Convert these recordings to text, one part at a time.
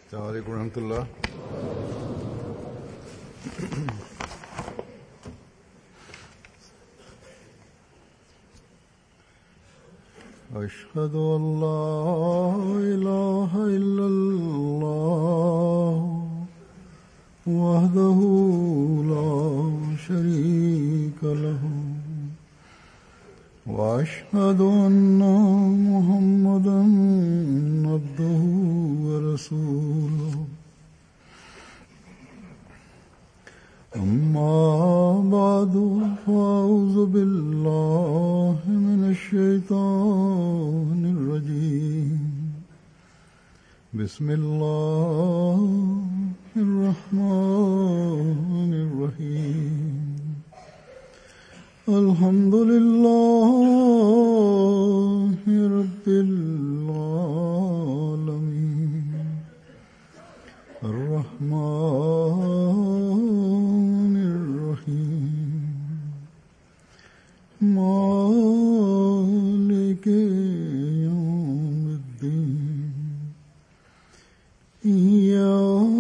السلام عليڪم ورحمة الله. أشهد أن لا إله إلا الله وحده لا شريك له وأشهد أن محمدا عبده ورسوله. أما بعد، فأعوذ بالله من الشيطان الرجيم. بسم الله الرحمن الرحيم. الحمد لله رب العالمين، الرحمن الرحيم، مالك يوم الدين، إياك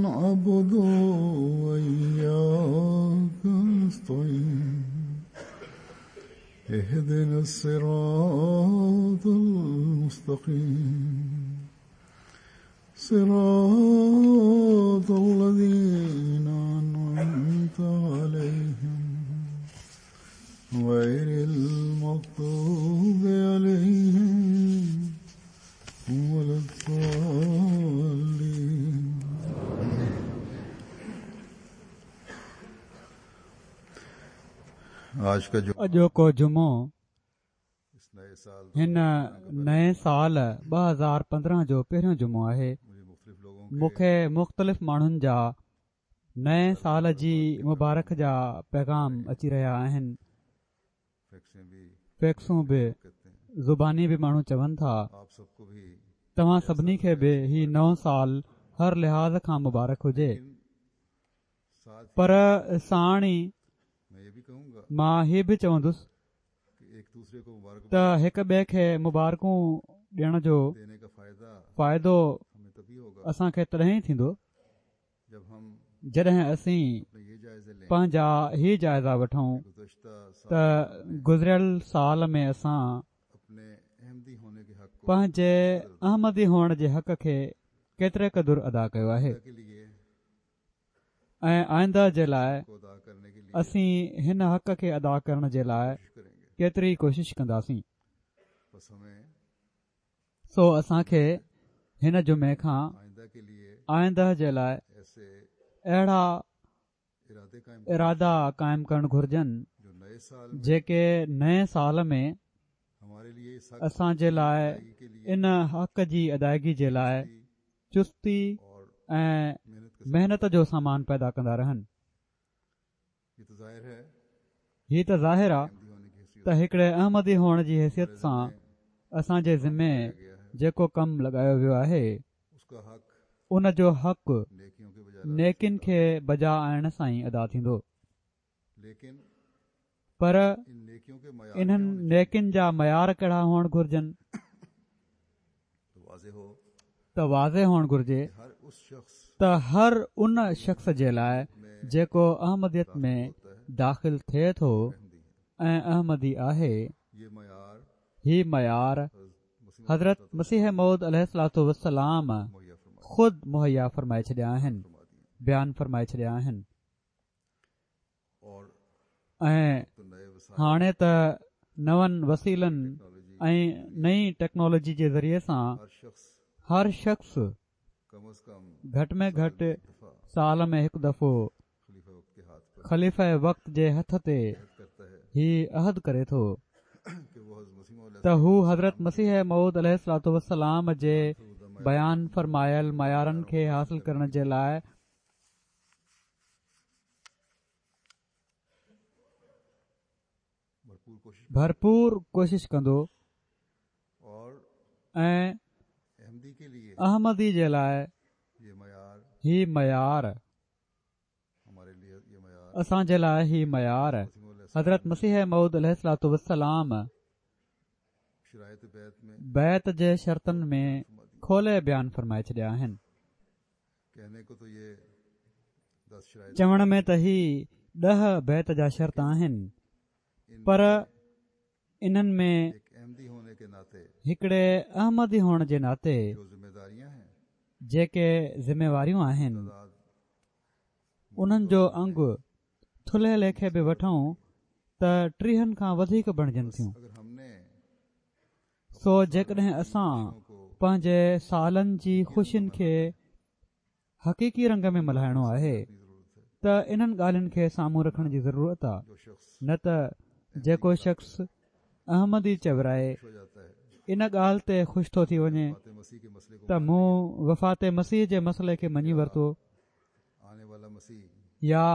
نعبد وإياك نستعين، اهدنا الصراط المستقيم، صراط الذين أنعمت عليهم، غير المغضوب عليهم ولا الضالين. آج کا جو اڄوڪو جمعو اس نئے سال هن نئين سال 2015 جو پهريون جمعو آهي. مجھے مختلف لوگوں مون کي مختلف ماڻهن جا نئين سال جي مبارڪ جا پيغام اچي رهيا آهن. فیکسیں بھی فيڪسون به کہتے ہیں. زباني به ماڻهو چون ٿا. آپ سب کو بھی توهان سڀني کي به هي نئون سال هر لحاظ کان مبارڪ هجي. ساتھ پر ساڻ ئي میں یہ بھی کہوں گا مان هي به چوندس کہ ایک دوسرے کو مبارک ته هڪ ٻئي کي مبارڪون ڏيڻ جو دینے کا فائدہ فائدو ہمیں تبھی ہوگا اسان کي تڏهن ئي ٿيندو جب ہم جڏهن اسين اپنے یہ جائزے لیں پنهنجا هي جائزا وٺون گزشتہ سال ته گذريل سال ۾ اسان اپنے احمدی ہونے کے حق کو پنهنجي احمدي هئڻ جي حق کي ڪيتري قدر ادا ڪيو آهي کے لیے ۽ آئنده جي لاءِ کو ادا کرنے کے لیے اسين هن حق کي ادا ڪرڻ جي لاءِ کوشش کریں گے. ڪيتري ڪوشش ڪنداسين. بس ہمیں سو اسان کي هن جمعي کان آئندہ کے لیے آئنده جي لاءِ ایسے اهڙا ارادے قائم ارادا قائم ڪرڻ گهرجن جو نئے سال میں جيڪي نئين سال ۾ ہمارے لیے اس حق اسان جي لاءِ ادائیگی کے لیے ان حق جي ادائگي جي لاءِ چستي اور ۽ محنت کے محنت جو سامان پيدا ڪندا رهن. یہ تو ظاہر ہے هي ته ظاهر آهي احمدی ہونے کی حیثیت ته هڪڙي احمدي هئڻ جي حيثيت سان اسان جي ذمي جيڪو ڪم لڳايو ويو آهي اس کا حق ان جو حق نیکیوں کے بجائے نيڪين کي بجا آڻڻ سان ئي ادا ٿيندو. لیکن پر ان نیکیوں کے معیار انهن نيڪين جا معيار ڪهڙا هئڻ گهرجن؟ تو واضح ہو ته واضح هئڻ گهرجي کہ ہر اس شخص ته هر ان شخص جي لاءِ جيڪو احمديت ۾ داخل ٿئي ٿو احمدی ہے ۽ احمدي آهي، یہ معیار هي معيار مسیح حضرت مسيح موعود عليه الصلوة والسلام مہیا فرمایا خود مهيا فرمائي ڇڏيا آهن، فرما دیے بيان فرمائي ڇڏيا آهن. اور ۽ تو نئے وسائل هاڻي ته نون وسيلن ۽ نئين ٽيڪنالاجي جي ذريعي سان ہر شخص هر شخص کم از کم گهٽ ۾ گهٽ دفعہ سال ۾ هڪ دفعو خلیفہ وقت کے ہاتھ پر خليفه وقت جي هٿ تي عہد کرتا ہے هي عهد ڪري ٿو کہ وہ حضرت مسیح موعود ته هو حضرت مسيح موعود عليه الصلوة والسلام جي بيان فرمايل معيارن کي حاصل ڪرڻ جي لاءِ بھرپور کوشش ڀرپور ڪوشش ڪندو اور ۽ احمدی کے لیے احمدي جي لاءِ یہ معیار هي معيار ہمارے لیے یہ معیار اسان جي لاءِ هي معيار مسیح موعود علیہ حضرت مسيح موعود عليه الصلوة والسلام شرائط بیعت میں بيعت جي شرطن ۾ کولي بيان فرمائي ڇڏيا آهن. چوڻ ۾ ته هي ڏهه بيعت جا شرط آهن پر انهن ۾ هڪڙي احمدي هئڻ جي ناتي جيڪي ذميواريون آهن انهن جو انگ ٿلهي ليکي به وٺون ته ٽيهن کان وڌيڪ بڻجن ٿيون. سو جيڪڏهن اسان پنهنجي سالن جي خوشين کي حقيقي رنگ ۾ ملهائڻو آهي ته انهن ڳالهين کي سامهون رکڻ جي ضرورت آ نه ته جيڪو شخص احمدي چورائي ان ڳالهه تي خوش ٿو ٿي وڃي ته مون وفات مسيح جي مسئلي کي مڃي ورتو يا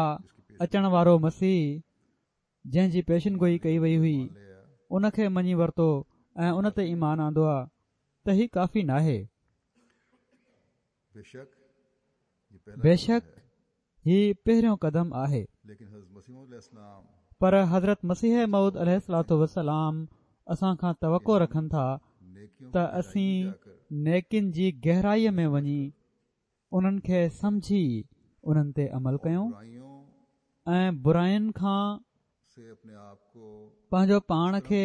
اچڻ وارو مسيح جنهن جي پيشن گوئي ڪئي وئي هئي ان کي مڃي ورتو ۽ ان تي ايمان آندو آ ته هي ڪافي ناهي. بيشڪ هي پهريون قدم آهي. پر حضرت مسيح موعود عليه الصلوة والسلام اسان کان توقع رکن ٿا ته اسين نيڪين جي گهرائيء ۾ وڃي انهن کي سمجهي انهن تي عمل ڪيون ۽ براين کان پنهنجو پاڻ کي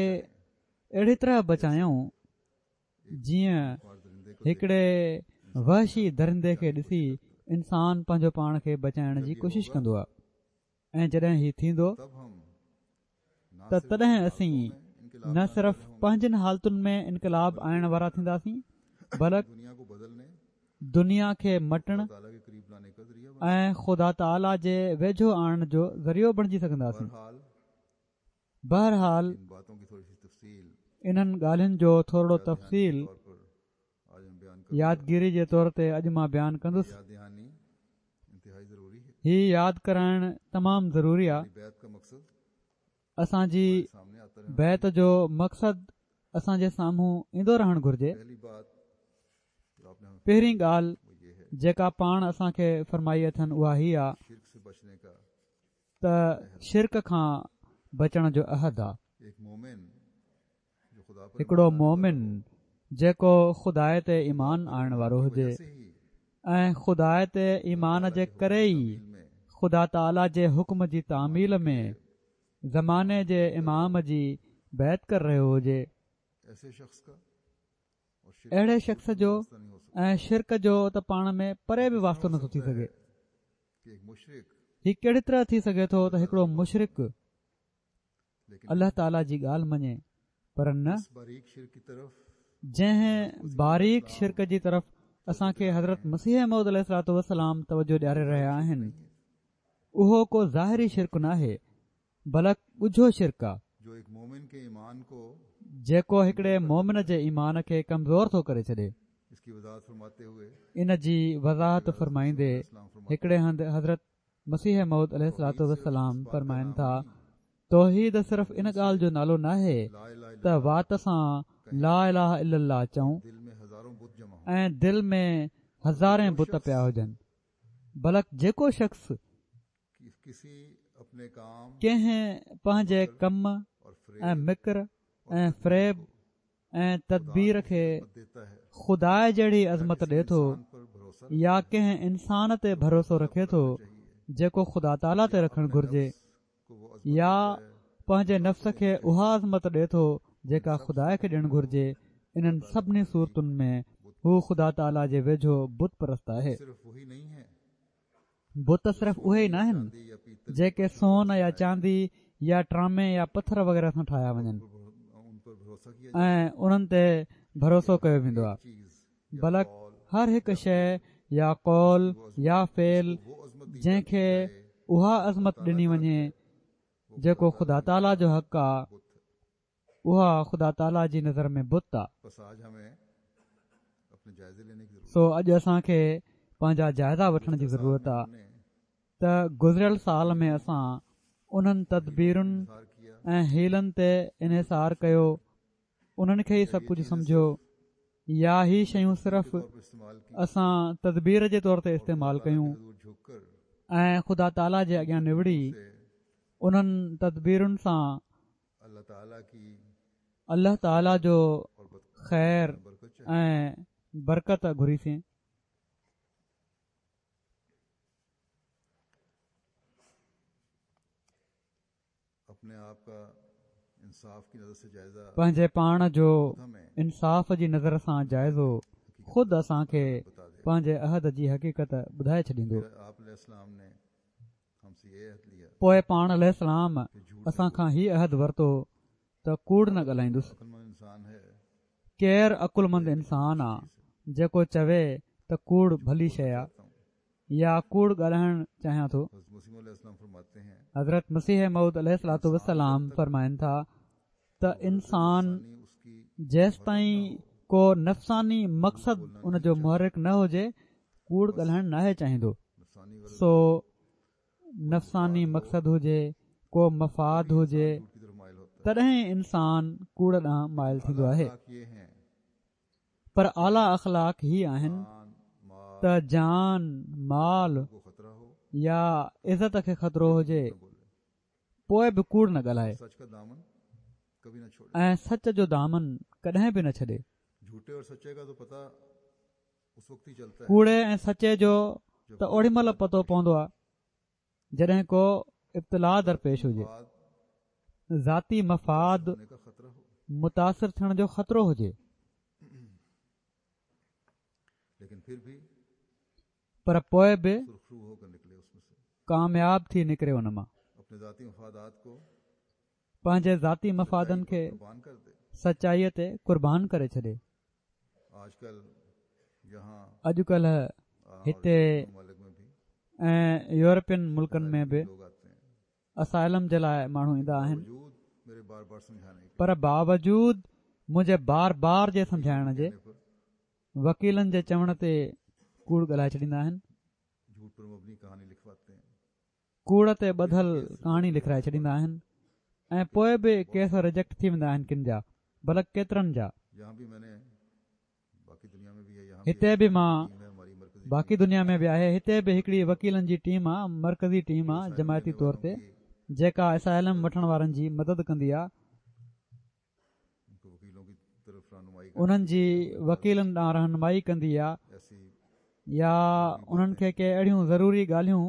اهڙي طرح بچايون جيئن هڪڙي وحشي درندي کي ڏسي انسان پنهنجو پاڻ کي بچائڻ جي ڪوشش ڪندو آهي ۽ جڏهن هي ٿيندو ته تڏهن اسين نه صرف پنهنجين حالتن ۾ انقلاب آڻڻ وارا ٿينداسين بلڪ دنيا کي مٽڻ ۽ خدا تعاليٰ جي ويجهو آڻڻ جو ذريعو بڻجي سگهنداسين. بهرحال انهن ڳالهين جو ٿورڙو تفصيل يادگيري جي طور تي اڄ مان بيان ڪندس. هي ياد ڪرائڻ تمام ضروري آ. اسان جي بيعت جو مقصد اسان جي سامهون ايندو رهڻ گهرجي. پهرين ڳالهه جيڪا پاڻ اسان کي فرمائي اٿن اها هي آ ته شرڪ کان بچڻ جو عهد آ. هڪڙو مؤمن جيڪو خدا تي ايمان آڻڻ وارو هجي ۽ خدا تي ايمان جي ڪري ئي خدا تعاليٰ جي حڪم جي تعميل ۾ زماني جي امام جي بيعت ڪري رهيو هجي اهڙي شخص جو ۽ شرڪ جو ته پاڻ ۾ پري به واسطو نٿو ٿي سگهي هي ڪهڙي طرح ٿي سگهي ٿو ته هڪڙو مشرڪ الله تعاليٰ جي ڳالهه مڃي پر نه جنهن باريڪ شرڪ جي طرف اسان کي حضرت مسيح موعود عليه الصلوة والسلام توجه ڏياري رهيا آهن اهو ڪو ظاهري شرڪ ناهي بلڪ ڳجهو شرڪ آ جيڪو هڪڙي مومن جي ايمان کي ڪمزور ٿو ڪري ڇڏي ان جي وضاحت فرمائيندي هڪڙي هنڌ حضرت مسيح موعود عليه الصلوة والسلام فرمائن ٿا، توحيد صرف ان ڳالهه جو نالو ناهي ته وات سان لا اله الا الله چئون ۽ دل ۾ هزارين بت پيا هجن بلڪ جيڪو شخص ڪنهن پنهنجي ڪم ۽ مڪر ۽ فريب ۽ تدبير کي خدا جهڙي عظمت ڏي ٿو يا ڪنهن انسان تي ڀروسو رکي ٿو جيڪو خدا تعاليٰ تي رکڻ گهرجي يا پنهنجي نفس کي اها عظمت ڏي ٿو جيڪا خدا کي ڏيڻ گهرجي انهن سڀني صورتن ۾ هو خدا تعاليٰ جي ويجهو بت پرست آهي. بت صرف اهي ئي ناهن جيڪي سون يا چاندي يا ٽرامي يا پٿر وغيره سان ٺاهيا وڃن ۽ انهن تي ڀروسو ڪيو ويندو آهي بلڪ هر هڪ شيء يا قول يا فعل جنهن کي اها عظمت ڏني وڃي جيڪو خدا تعاليٰ جو حق آهي اها خدا تعاليٰ جي نظر ۾ بت آ. سو اڄ اسان کي پنهنجا جائزا وٺڻ جي ضرورت آ ته گذريل سال ۾ اسان انهن تدبيرن ۽ حيلن تي انحصار ڪيو انهن کي ئي سڀ ڪجهه سمجهيو يا هي شيون صرف اسان تدبير جي طور تي استعمال ڪيون ۽ خدا تعاليٰ جي اڳيان نوڙي انهن تدبيرن سان الله تعاليٰ جو خير ۽ برڪت گهريسين. پنهنجي پاڻ جو انصاف جي نظر سان جائزو خود اسان کي پنهنجي عهد جي حقيقت ٻڌائي ڇڏيندو. پوء پاڻ عليه السلام اسان کان هي عهد ورتو ته ڪوڙ نه ڳالهائيندس. ڪير عقلمند انسان آ جيڪو چوي ته ڪوڙ ڀلي شيء آ يا ڪوڙ ڳالهائڻ چاهيان ٿو. حضرت مسيح موعود عليه الصلوة والسلام فرمائن ٿا ته انسان جيستائين ڪو نفساني مقصد ان جو محرڪ نه هجي ڪوڙ ڳالهائڻ ناهي چاهيندو سو نفساني مقصد هجي، ڪو مفاد هجي، تڏهن انسان ڪوڙ ڏانهن مائل ٿيندو آهي. پر اعليٰ اخلاق هي آهن ته جان، مال يا عزت کي خطرو هجي، پوء به ڪوڙ نه ڳالهائي ۽ سچ جو دامن ڪڏهن به نه ڇڏي. ڪوڙي ۽ سچي جو ته اوڏي مهل پتو پوندو آهي جڏهن ڪو ابتلاء درپيش هجي ذاتي مفاد متاثر ٿيڻ جو خطرو هجي پر پوء به ڪامياب ٿي نڪري ان مان پنهنجي ذاتي مفادن کي سچائيء تي قربان ڪري ڇڏي. اڄڪلهه هتي ۽ يورپين ملڪن ۾ به اسائلم جي لاء ماڻهو ايندا آهن پر باوجود منهنجي بار بار جي سمجهائڻ جي وڪيلن جي چوڻ تي ڪوڙ ڳالهائي ڇڏيندا آهن. ڪوڙ تي ٻڌل ڪهاڻي لکرائي ڇڏيندا آهن ۽ پوء به ڪيس رجيڪٽ ٿي ويندا آهن ڪن جا بلڪ ڪيترن جا. هتي به مان باقي دنيا ۾ به آهي هتي به هڪڙي وڪيلن جي ٽيم آ مرڪزي ٽيم آ جماعتي طور تي جيڪا اسائلم وٺڻ وارن جي مدد ڪندي آ انهن جي وڪيلن ڏانهن رهنمائي ڪندي آ يا انهن کي ڪي اهڙيون ضروري ڳالهيون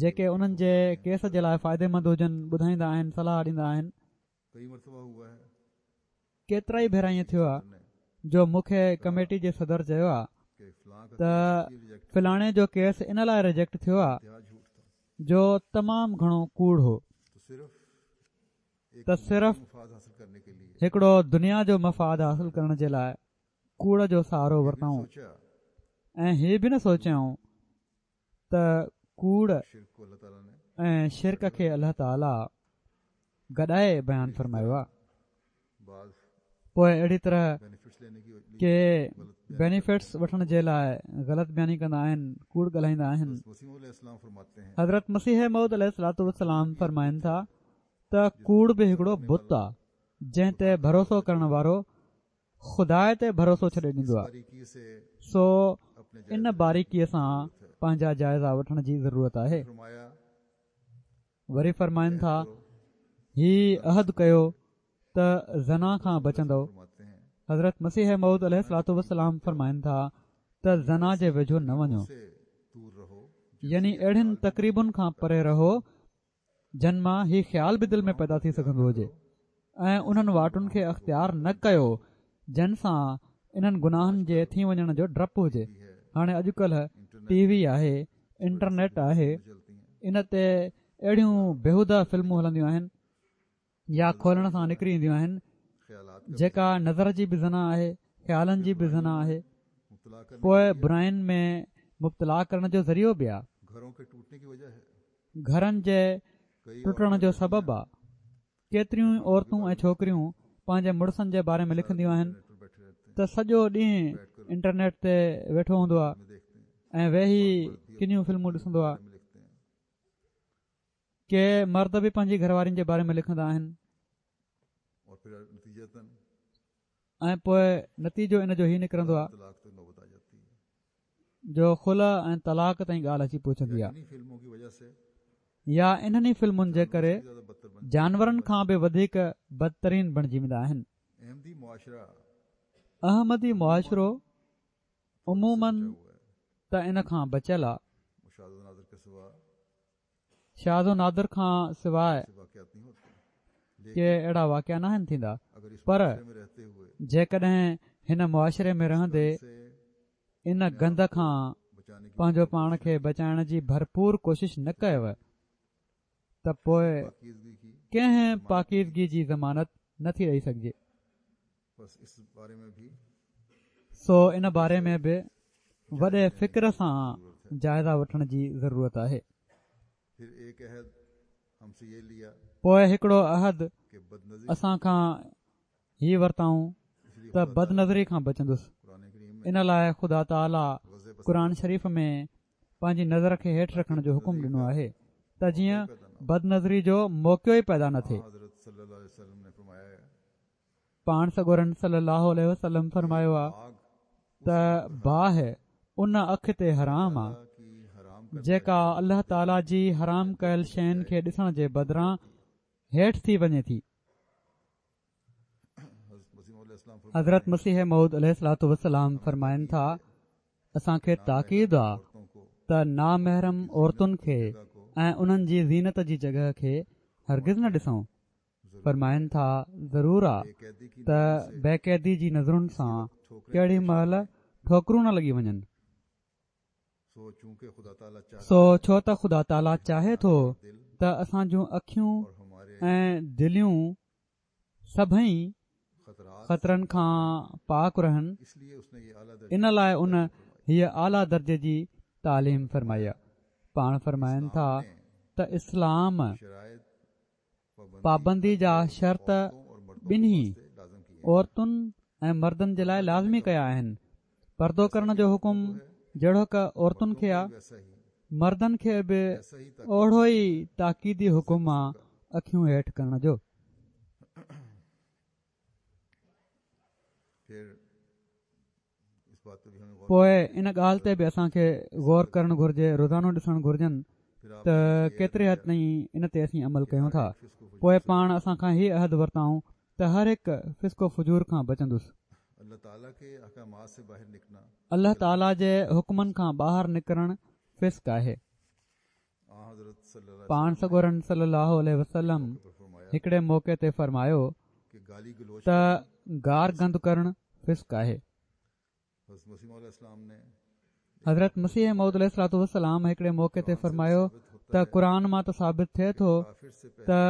جيڪي انهن جي ڪيس جي لاء فائديمند هجن ٻڌائيندا آهن صلاح ڏيندا آهن ڪيترائي ڀيرا ائين ٿيو آ جو مون کي ڪميٽي جي صدر چيو آ ته فلاڻي جو ڪيس ان لاء رجيڪٽ ٿيو آ جو تمام گهڻو ڪوڙ هو ته صرف هڪڙو دنيا جو مفاد حاصل ڪرڻ جي لاء ڪوڙ جو سهارو ورتائون ۽ هي به نه سوچيائون ته ڪوڙ ۽ شرڪ کي الله تعالي گڏائي بيان فرمايو آهي. پوء اهڙي طرح ڪي بينيفٽس وٺڻ جي لاء غلط بياني ڪندا آهن ڪوڙ ڳالهائيندا آهن حضرت مسيح موعود عليه الصلوة والسلام فرمائن ٿا ته ڪوڙ به هڪڙو بت آ جنهن تي ڀروسو ڪرڻ وارو خدا تي ڀروسو ڇڏي ڏيندو آ سو ان باريڪيء سان پنهنجا جائزا وٺڻ جي ضرورت آهي وري فرمائن ٿا هي عهد ڪيو ته زنا کان بچندؤ حضرت مسيح موعود عليه الصلوة والسلام فرمائن ٿا ته زنا جي ويجهو نه وڃو يعني اهڙين تقريبن کان پري رهو جن مان هي خيال به دل ۾ پيدا ٿي سگهندو هجي ۽ انهن واٽن کي اختيار نه ڪيو جن سان انهن گناهن جي ٿي وڃڻ جو ڊپ هجي هاڻي اڄڪلهه ٽي وي آهي انٽرنيٽ آهي ان تي اهڙيون بيهوده فلمون هلنديون آهن يا کولڻ سان نڪري اينديون آهن جيڪا نظر جي به زنا آهي خيالن جي به زنا آهي پوء براين ۾ مبتلا ڪرڻ جو ذريعو به آهي گهرن جي ٽٽڻ جو سبب آهي ڪيتريون ئي عورتون ۽ ڇوڪريون پنهنجي مڙسن جي باري ۾ لکنديون آهن ته سڄو ڏينهن انٽرنيٽ تي ويٺو هوندو آهي ۽ ويهي ڪنيون فلمون ڏسندو آهي ڪي مرد به پنهنجي گهر وارين جي باري ۾ لکندا آهن ۽ پوء نتيجو ان جو هي نڪرندو آهي جو خلع ۽ طلاق تائين ڳالهه اچي پهچندي آهي يا انهن ئي فلمن جي ڪري جانورن کان به وڌيڪ بدترين بڻجي ويندا آهن. احمدي معاشرو. عموماً ته ان کان بچيل آ. شاذ و نادر کان سواء ڪي اهڙا واقعا ناهن ٿيندا پر جيڪڏهن هن معاشري ۾ رهندي ان گند کان پنهنجو پاڻ کي بچائڻ جي ڀرپور ڪوشش نه ڪيو ته پوء ڪنهن پاڪيزگي جي ضمانت نٿي ڏئي سگهجي. سو ان باري ۾ به وڏي فڪر سان جائزه وٺڻ جي ضرورت آهي. پوء هڪڙو عهد اسان کان هي ورتائون ته بدنظري کان بچندس ان لاء خدا تعاليٰ قرآن شريف ۾ پنهنجي نظر کي هيٺ رکڻ جو حڪم ڏنو آهي ته جيئن بدنظري جو موقعو ئي پيدا نه ٿئي. پاڻ سڳورن صلي الله عليه وسلم فرمايو آ ته باهه ان اک تي حرام آ جيڪا الله تعالي جي حرام ڪيل شين کي ڏسڻ جي بدران هيٺ ٿي وڃي ٿي. حضرت مسيح موعود عليه الصلوة والسلام فرمائن ٿا اسان کي تاڪيد آ ته نامحرم عورتن کي ۽ انهن جي زينت جي جڳهه کي هرگز نه ڏسون. فرمائن ٿا، ضرور آ ته بيقيدي جي نظرن سان ڪهڙي مهل ٺوڪرون نه لڳي وڃن. سو ڇو ته خدا تعاليٰ چاهي ٿو ته اسان جون اکيون ۽ دليون سڀئي خطرن کان پاڪ رهن، ان لاء ان هيء اعليٰ درجي جي تعليم فرمائي آ. پاڻ فرمائن ٿا ته اسلام پابندي جا شرط ٻنهي عورتن ۽ مردن جي لاء لازمي ڪيا آهن پردو ڪرڻ جو حڪم جهڙوڪ عورتن کي آ مردن کي به اوڙو ئي تاڪيدي حڪم آ اکيون هيٺ ڪرڻ جو. پوء ان ڳالهه تي به اسان کي غور ڪرڻ گهرجي روزانو ڏسڻ گهرجن ته ڪيتري حد تائين ان تي اسين عمل ڪيون ٿا پوء پاڻ اسان کان هي عهد ورتائون ته هر هڪ فسق و فجور کان بچندس. الله تعاليٰ جي حڪمن کان ٻاهر نڪرڻ فسق آهي. پاڻ سڳورن صلي الله عليه وسلم هڪڙي موقعي تي فرمايو ته گار گند ڪرڻ فسق آهي. حضرت مسيح موعود عليه الصلوة والسلام هڪڙي موقعي تي فرمايو ته قرآن مان ته ثابت ٿئي ٿو ته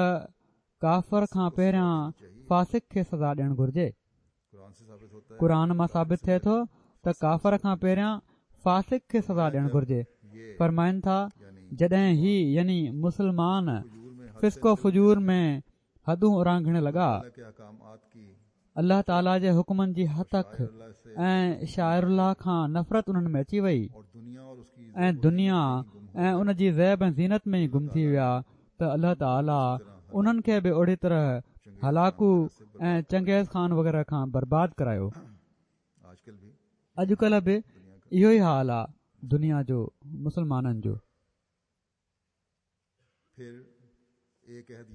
ڪافر کان پهريان فاسق کي سزا ڏيڻ گهرجي. قرآن مان ثابت ٿئي ٿو ته ڪافر کان پهريان فاسق کي سزا ڏيڻ گهرجي. فرمائن ٿا، جڏهن هي، يعني مسلمان، فسق و فجور ۾ حدون اورانگهڻ لڳا، الله تعاليٰ جي حڪمن جي هتڪ ۽ شعائر الله کان نفرت انهن ۾ اچي وئي ۽ دنيا ۽ ان جي زيب ۽ زينت ۾ ئي گم ٿي ويا ته الله تعاليٰ انهن کي به اهڙي طرح هلاڪو ۽ چنگيز خان وغيره کان برباد ڪرايو. اڄڪلهه به اهو ئي حال آ دنيا جو مسلمانن جو.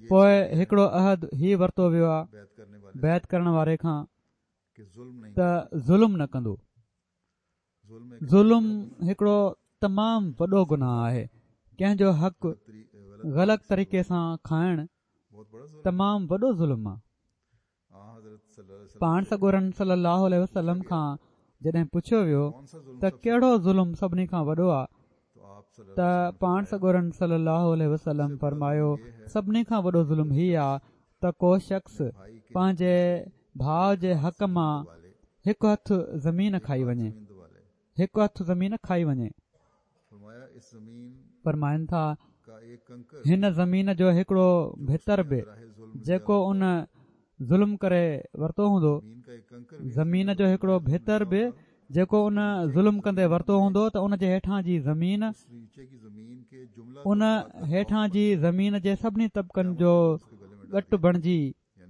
پوء هڪڙو عهد هي ورتو ويو آ بيعت ڪرڻ واري کان ته ظلم نه ڪندو. ظلم هڪڙو تمام وڏو گناهه آهي ڪنهن جو حق غلط طريقي سان کائڻ تمام وڏو ظلم آهي پاڻ سڳورن صلي الله عليه وسلم کان جڏهن پڇيو ويو ته ڪهڙو ظلم سڀني کان وڏو آهي ته پاڻ سڳورن صلي الله عليه وسلم فرمايو سڀني کان وڏو ظلم هي آ ته ڪو شخص پنهنجي ڀاء جي حق مان هڪ هٿ زمين کائي وڃي هڪ هٿ زمين کائي وڃي فرمائن ٿا هن زمين جو هڪڙو ڀتر به جيڪو ان ظلم ڪري ورتو هوندو زمين جو هڪڙو ڀتر به جيڪو ان ظلم ڪندي ورتو هوندو ته ان جي هيٺان جي زمين ان هيٺان جي زمين جي سڀني طبقن جو ڳٽ بڻجي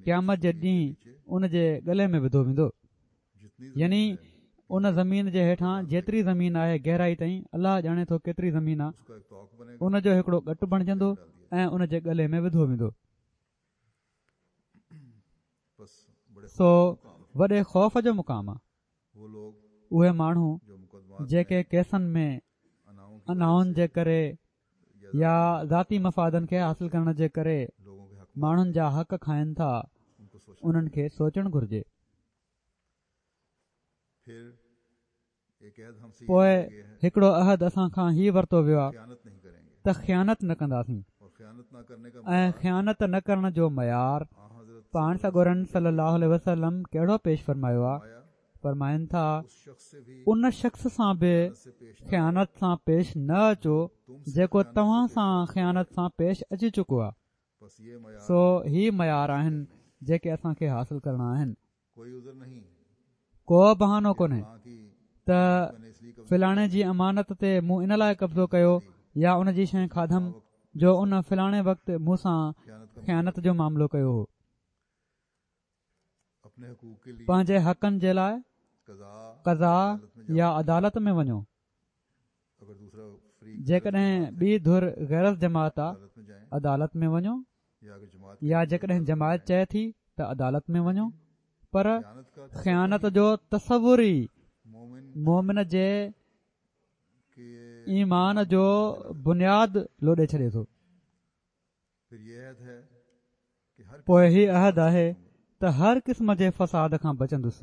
قيامت جي ڏينهن ان جي ڳلي ۾ وڌو ويندو يعني ان زمين جي هيٺان جيتري زمين آهي گهرائي تائين الله ڄاڻي ٿو ڪيتري زمين آهي ان جو هڪڙو ڳٽ بڻجندو ۽ ان جي ڳلي ۾ وڌو ويندو سو وڏي خوف جو مقام آ. اهي ماڻهو جيڪي ڪيسن ۾ انائن جي ڪري يا ذاتي مفادن کي حاصل ڪرڻ جي ڪري ماڻهن جا حق کائن ٿا انهن کي سوچڻ گهرجي. پوء هڪڙو عهد اسان کان هي ورتو ويو آهي ته خيانت نه ڪنداسين ۽ خيانت نه ڪرڻ جو معيار پاڻ سڳورن صلي الله عليه وسلم ڪهڙو پيش فرمايو آهي فرمائن ٿا ان شخص سان به خيانت سان پيش نه اچو جيڪو توهان سان خيانت سان پيش اچي چڪو آهي سو هي معيار آهن جيڪي اسان کي حاصل ڪرڻا آهن ڪو بهانو ڪونهي ته فلاڻي جي امانت تي مون ان لاء قبضو ڪيو يا ان جي شيء کاڌم جو ان فلاڻي وقت مون سان خيانت جو معاملو ڪيو هو. پنهنجي حقن جي لاء قضا يا عدالت ۾ وڃو. جيڪڏهن ٻي ڌر غير از جماعت آ عدالت ۾ وڃو يا جيڪڏهن جماعت چئي ٿي ته عدالت ۾ وڃو پر خيانت جو تصور ئي مومن جي ايمان جو بنياد لوڏي ڇڏي ٿو. پوء هي عهد آهي ته هر قسم جي فساد کان بچندس.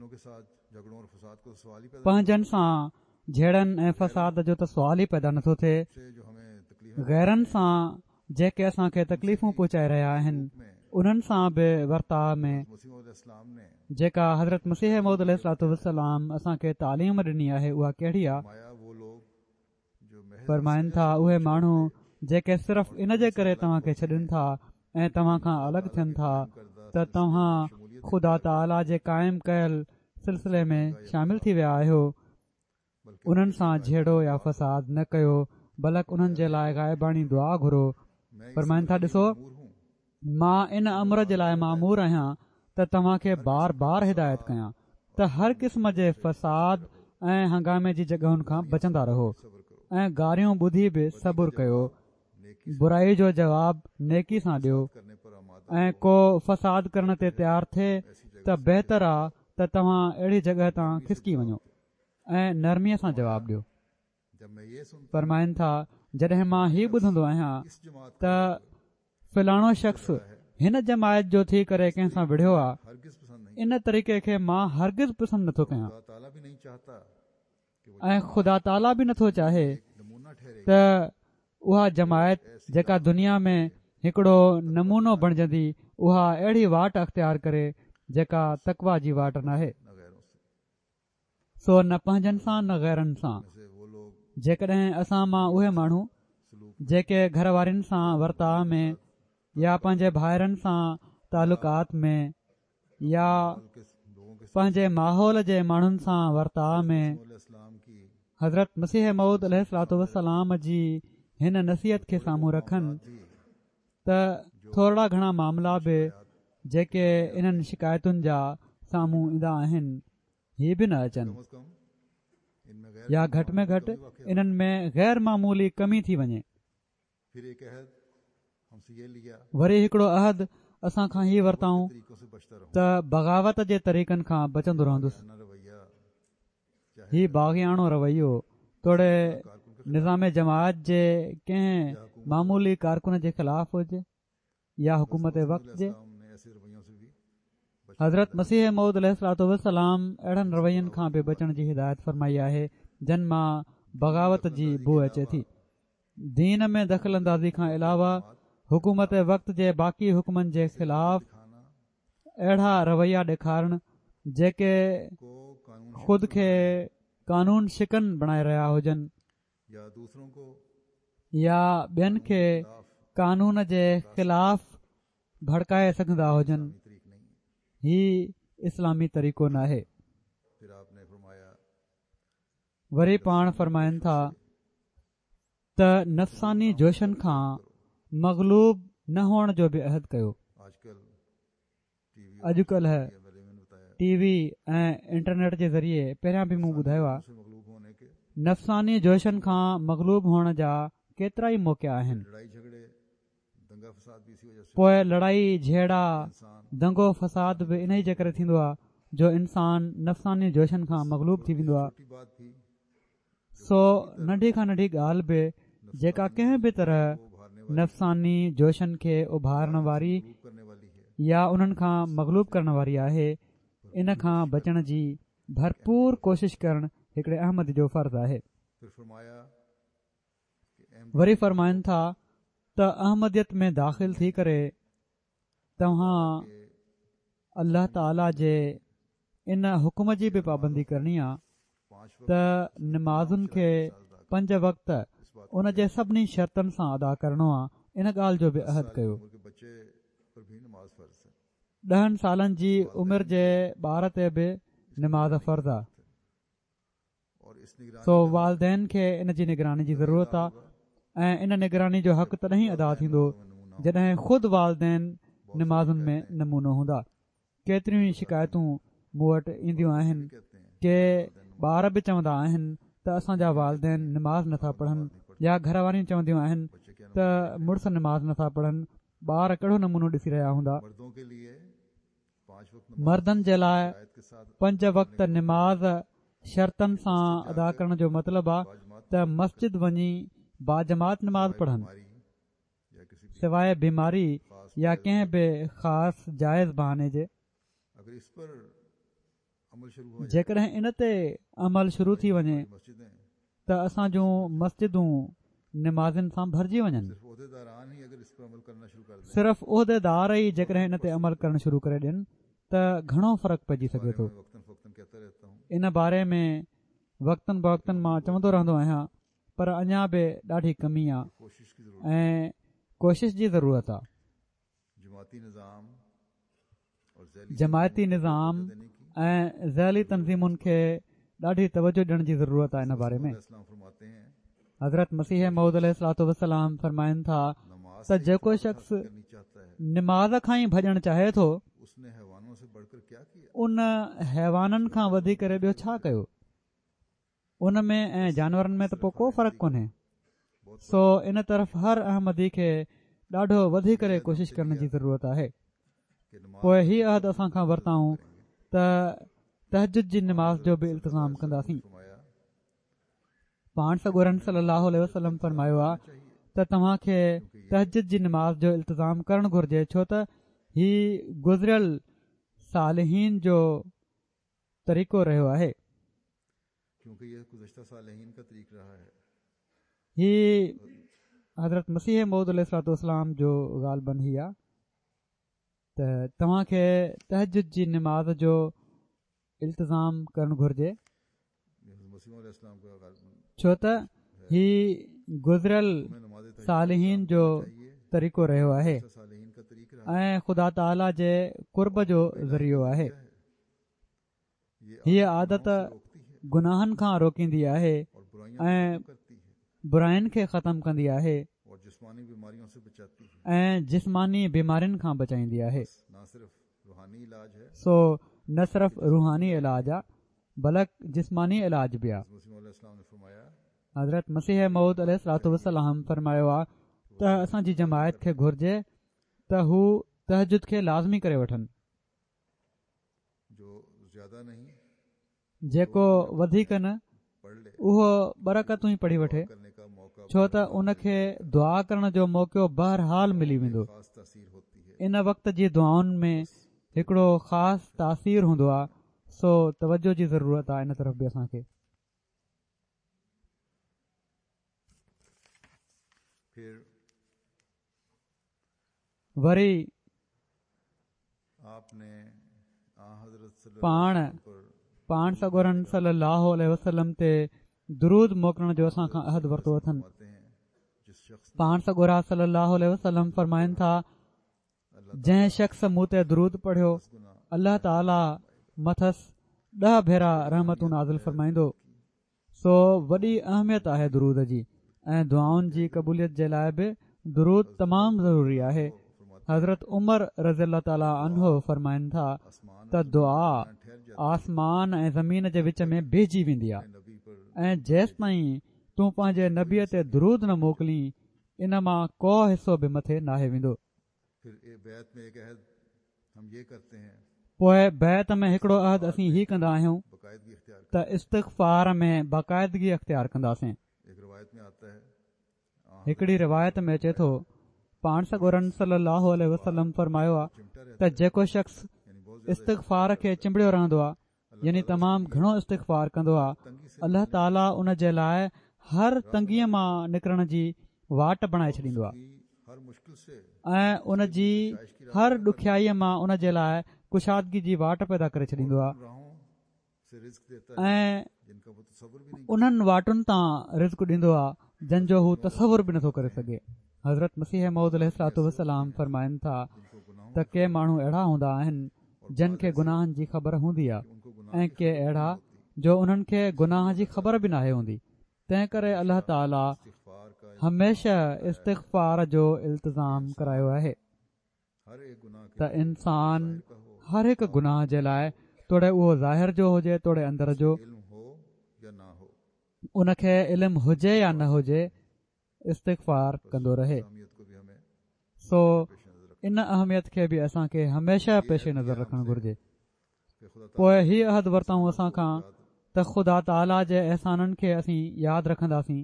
پنهنجن سان جهيڙن ۽ فساد جو ته سوال ئي پيدا نٿو ٿئي. غيرن سان جيڪي اسان کي تڪليفون پهچائي رهيا آهن انهن سان به ورتاء ۾ جيڪا حضرت مسيح موعود عليه الصلوة والسلام اسان کي تعليم ڏني آهي اها ڪهڙي آهي؟ فرمائن ٿا، اهي ماڻهو جيڪي صرف ان جي ڪري توهان کي ڇڏين ٿا ۽ توهان کان الڳ ٿين ٿا ته توهان خدا تعاليٰ جي قائم ڪيل سلسلي ۾ شامل ٿي ويا آهيو، انهن سان جهيڙو يا فساد نه ڪيو بلڪ انهن جي لاء غائباڻي دعا گهرو. فرمائن ٿا، ڏسو! مان ان امر جي لاء مامور آهيان ته توهان کي بار بار هدايت ڪيان ته هر قسم جي فساد ۽ هنگامي جي جڳهن کان بچندا رهو ۽ گاريون ٻڌي به صبر ڪيو برائي جو جواب نيڪي سان ڏيو ۽ ڪو فساد ڪرڻ تي تيار ٿئي ته بهتر آ ته توهان اهڙي جڳهه تان کسڪي وڃو ۽ نرمي سان جواب ڏيو. فرمائن ٿا، جڏهن مان هي ٻڌندو آهيان ته فلاڻو شخص هن جماعت جو ٿي ڪري ڪنهن سان وڙهيو آ، ان طريقي کي مان هرگز پسند نٿو ڪيان ۽ خدا تعاليٰ به نٿو چاهي ته اها جماعت جيڪا دنيا ۾ هڪڙو نمونو بڻجندي اها اهڙي واٽ اختيار ڪري جيڪا تقويٰ جي واٽ ناهي. سو نه پنهنجن سان نه غيرن سان. جيڪڏهن اسان مان اهي ماڻهو جيڪي گهر وارين سان ورتاء ۾ يا پنهنجي ڀائرن سان تعلقات ۾ يا پنهنجي ماحول جي ماڻهن سان ورتاء ۾ حضرت مسيح موعود عليه الصلوة والسلام جي هن نصيحت کي سامهون رکن ته ٿورڙا گهڻا معاملا به جيڪي انهن شڪايتن جا سامهون ايندا آهن هي به نه اچن يا گهٽ ۾ گهٽ انهن ۾ غير معمولي ڪمي ٿي وڃي. وري هڪڙو عهد اسان کان هي ورتائون ته بغاوت جي طريقن کان بچندو رهندس. هي باغياڻو رويو توڙي نظام جماعت جي ڪنهن معمولي ڪارڪن جي خلاف هجي يا حڪومت وقت جي. حضرت مسيح موعود عليه الصلوة والسلام اهڙن روين کان به بچڻ جي هدايت فرمائي آهي جن مان بغاوت جي بوء اچي ٿي. دين ۾ دخل اندازي کان علاوه حڪومت وقت جي باقي حڪمن جي خلاف اهڙا رويا ڏيکارڻ جيڪي خود کي قانون شڪن بڻائي رهيا هجن يا ٻين کي قانون جي خلاف ڀڙڪائي سگهندا هجن هي اسلامي طريقو ناهي. وري پاڻ فرمائن ٿا ته نفساني جوشن کان مغلوب نه هئڻ جو به عهد ڪيو. اڄڪلهه ٽي وي ۽ انٽرنيٽ جي ذريعي پهريان به مون ٻڌايو آهي نفساني جوشن کان مغلوب هئڻ جا ڪيترائي موقعا آهن. پوء لڙائي جهيڙا دنگو فساد به انهي جي ڪري ٿيندو آهي. جو انسان نفساني جوشن کان مغلوب ٿي ويندو آ. سو ننڍي کان ننڍي ڳالهه به جيڪا ڪنهن به طرح نفساني جوشن کي اڀارڻ واري يا انهن کان مغلوب ڪرڻ واري آهي ان کان بچڻ جي ڀرپور ڪوشش ڪرڻ هڪڙي احمدي جو فرض آهي. وري فرمائن ٿا ته احمديت ۾ داخل ٿي ڪري توهان الله تعاليٰ جي ان حڪم جي به پابندي ڪرڻي آ ته نمازن کي پنج وقت ان جي سڀني شرطن سان ادا ڪرڻو آ ان ڳالهه جو به عهد ڪيو. ڏهن سالن جي عمر جي ٻار تي به نماز فرض آ. سو والدين کي ان جي نگراني جي ضرورت آ ۽ ان نگراني جو حق تڏهن ئي ادا ٿيندو جڏهن خود والدين نمازن ۾ نمونو هوندا. ڪيتريون ئي شڪايتون مون وٽ اينديون آهن ڪي ٻار به چوندا آهن ته اسان جا والدين نماز نٿا پڙهن يا گهر واريون چونديون آهن ته مڙس نماز نٿا پڙهن ٻار ڪهڙو نمونو ڏسي رهيا هوندا. مردن جي لاء پنج وقت نماز شرطن سان ادا ڪرڻ جو مطلب آ ته مسجد وڃي باجماعت نماز پڙهن سواء بيماري يا ڪنهن به خاص جائز بهاني جي. جيڪڏهن ان تي عمل شروع ٿي وڃي ته اسان جون مسجدون نمازين سان ڀرجي وڃن. صرف عهديدار ئي جيڪڏهن ان تي عمل ڪرڻ شروع ڪري ڏين ته گهڻو فرق پئجي سگهي ٿو. ان باري ۾ وقتن بوقتن مان چوندو رهندو آهيان پر اڃا به ڏاڍي ڪمي آ ۽ ڪوشش جي ضرورت آ. جماعتي نظام ۽ ذيلي تنظيمن کي ڏاڍي توجه ڏيڻ جي ضرورت آهي ان باري ۾ حضرت مسيح موعود عليه الصلوة والسلام فرمائن ٿا ته جيڪو شخص نماز کان ئي ڀڄڻ چاهي ٿو ان حيوانن کان وڌي ڪري ٻيو ڇا ڪيو ان ۾ ۽ جانورن ۾ ته پوء ڪو فرق ڪونهي. سو ان طرف هر احمدي کي ڏاڍو وڌي ڪري ڪوشش ڪرڻ جي ضرورت آهي. پوء هي عهد اسان کان ورتائون ته تهجد جي نماز جو به التزام ڪنداسين. پاڻ سڳورن صلي الله عليه وسلم فرمايو آ ته توهان کي تهجد جي نماز جو التزام ڪرڻ گهرجي ڇو ته هي گذريل صالحين جو طريقو رهيو آهي. هي حضرت مسيح موعود عليه الصلوة والسلام جو غالباً هي آ ته توهان کي تهجد جي نماز جو التزام ڪرڻ گهرجي ڇو ته هي گذريل صالحين جو طريقو رهيو آهي ۽ خدا تعاليٰ جي قرب جو ذريعو آهي. هيء عادت گناهن کان روڪيندي آهي ۽ براين کي ختم ڪندي آهي ۽ جسماني بيمارين کان بچائيندي آهي. سو نه صرف روحاني علاج آ بلڪ جسماني علاج به آ. حضرت مسيح موعود عليه الصلوة والسلام فرمايو آ ته اسان جي جماعت کي گهرجي ته هو تهجد کي لازمي ڪري وٺن. جيڪو وڌيڪ نه اهو ٻه رڪعتون ئي پڙهي وٺي ڇو ته ان کي دعا ڪرڻ جو موقعو بهرحال ملي ويندو ان وقت جي دعائن ۾ هڪڙو خاص تاثير هوندو آهي سو توجه جي ضرورت آهي ان طرف به اسان کي وري پاڻ پاڻ سڳورن صلي الله عليه وسلم تي درود موڪلڻ جو اسان کان عهد ورتو اٿن پاڻ سڳورا صلي الله عليه وسلم فرمائن ٿا جنهن شخص مون تي درود پڙهيو الله تعالي مٿس ڏهه ڀيرا رحمتون نازل فرمائيندو سو وڏي اهميت آهي درود جي ۽ دعائن جي قبوليت جي لاء به درود تمام ضروري آهي حضرت عمر رضي الله تعالٰي عنه فرمائن ٿا ته دعا آسمان ۽ زمين جي وچ ۾ بيهجي ويندي آهي ۽ جيستائين تون پنهنجي نبيء تي درود نه موڪلين ان مان ڪو حصو به مٿي ناهي ويندو. پوء بيعت ۾ هڪڙو عهد اسين هي ڪندا آهيون ته استغفار ۾ باقاعدگي اختيار ڪنداسين. هڪڙي روايت ۾ اچي ٿو، پاڻ سڳورن صلي الله عليه وسلم فرمايو آ ته جيڪو شخص استغفار کي چنبڙيو رهندو آ يعني تمام گهڻو استغفار ڪندو آ الله تعالي ان جي لاء هر تنگيء مان نڪرڻ جي واٽ بڻائي ڇڏيندو آ ۽ ان جي هر ڏکيائيء مان ان جي لاء ڪشادگي جي واٽ پيدا ڪري ڇڏيندو آ. ۽ انهن واٽن تان رزق ڏيندو آهي جن جو هو تصور به نٿو ڪري سگهي. حضرت مسيح موعود عليه الصلوة والسلام فرمائن ٿا ته ڪي ماڻهو اهڙا هوندا آهن جن کي گناهن جي خبر هوندي آهي ۽ ڪي اهڙا جو انهن کي گناهه جي خبر به ناهي هوندي تنهن ڪري الله تعالي هميشه استغفار جو التزام ڪرايو آهي. ته انسان هر هڪ گناهه جي لاء توڙي اهو ظاهر جو هجي توڙي اندر جو ان کي علم هجي يا نه هجي استغفار ڪندو رهي سو ان اهميت کي به اسان کي هميشه پيش نظر رکڻ گهرجي پوء هي عهد ورتائون اسان کان ته خدا تعاليٰ جي احسانن کي اسين ياد رکنداسين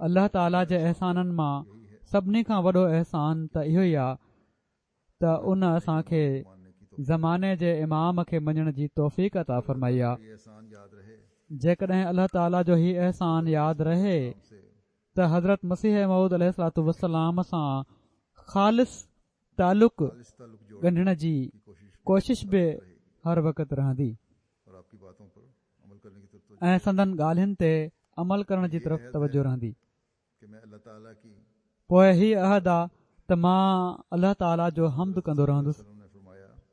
الله تعاليٰ جي احسانن مان سڀني کان وڏو احسان ته اهو ئي آ ته ان اسان کي زماني جي امام کي مڃڻ جي توفيق عطا فرمائي آ. جيڪڏهن الله تعاليٰ جو هي احسان ياد رهي ته حضرت مسيح موعود عليه الصلوة والسلام سان خالص تعلق ڳنڍڻ جي ڪوشش به هر وقت رهندي. ۽ سندن ڳالهين تي عمل ڪرڻ جي طرف توجه رهندي. پوء هي عهد آ ته مان الله تعاليٰ جو حمد ڪندو رهندس.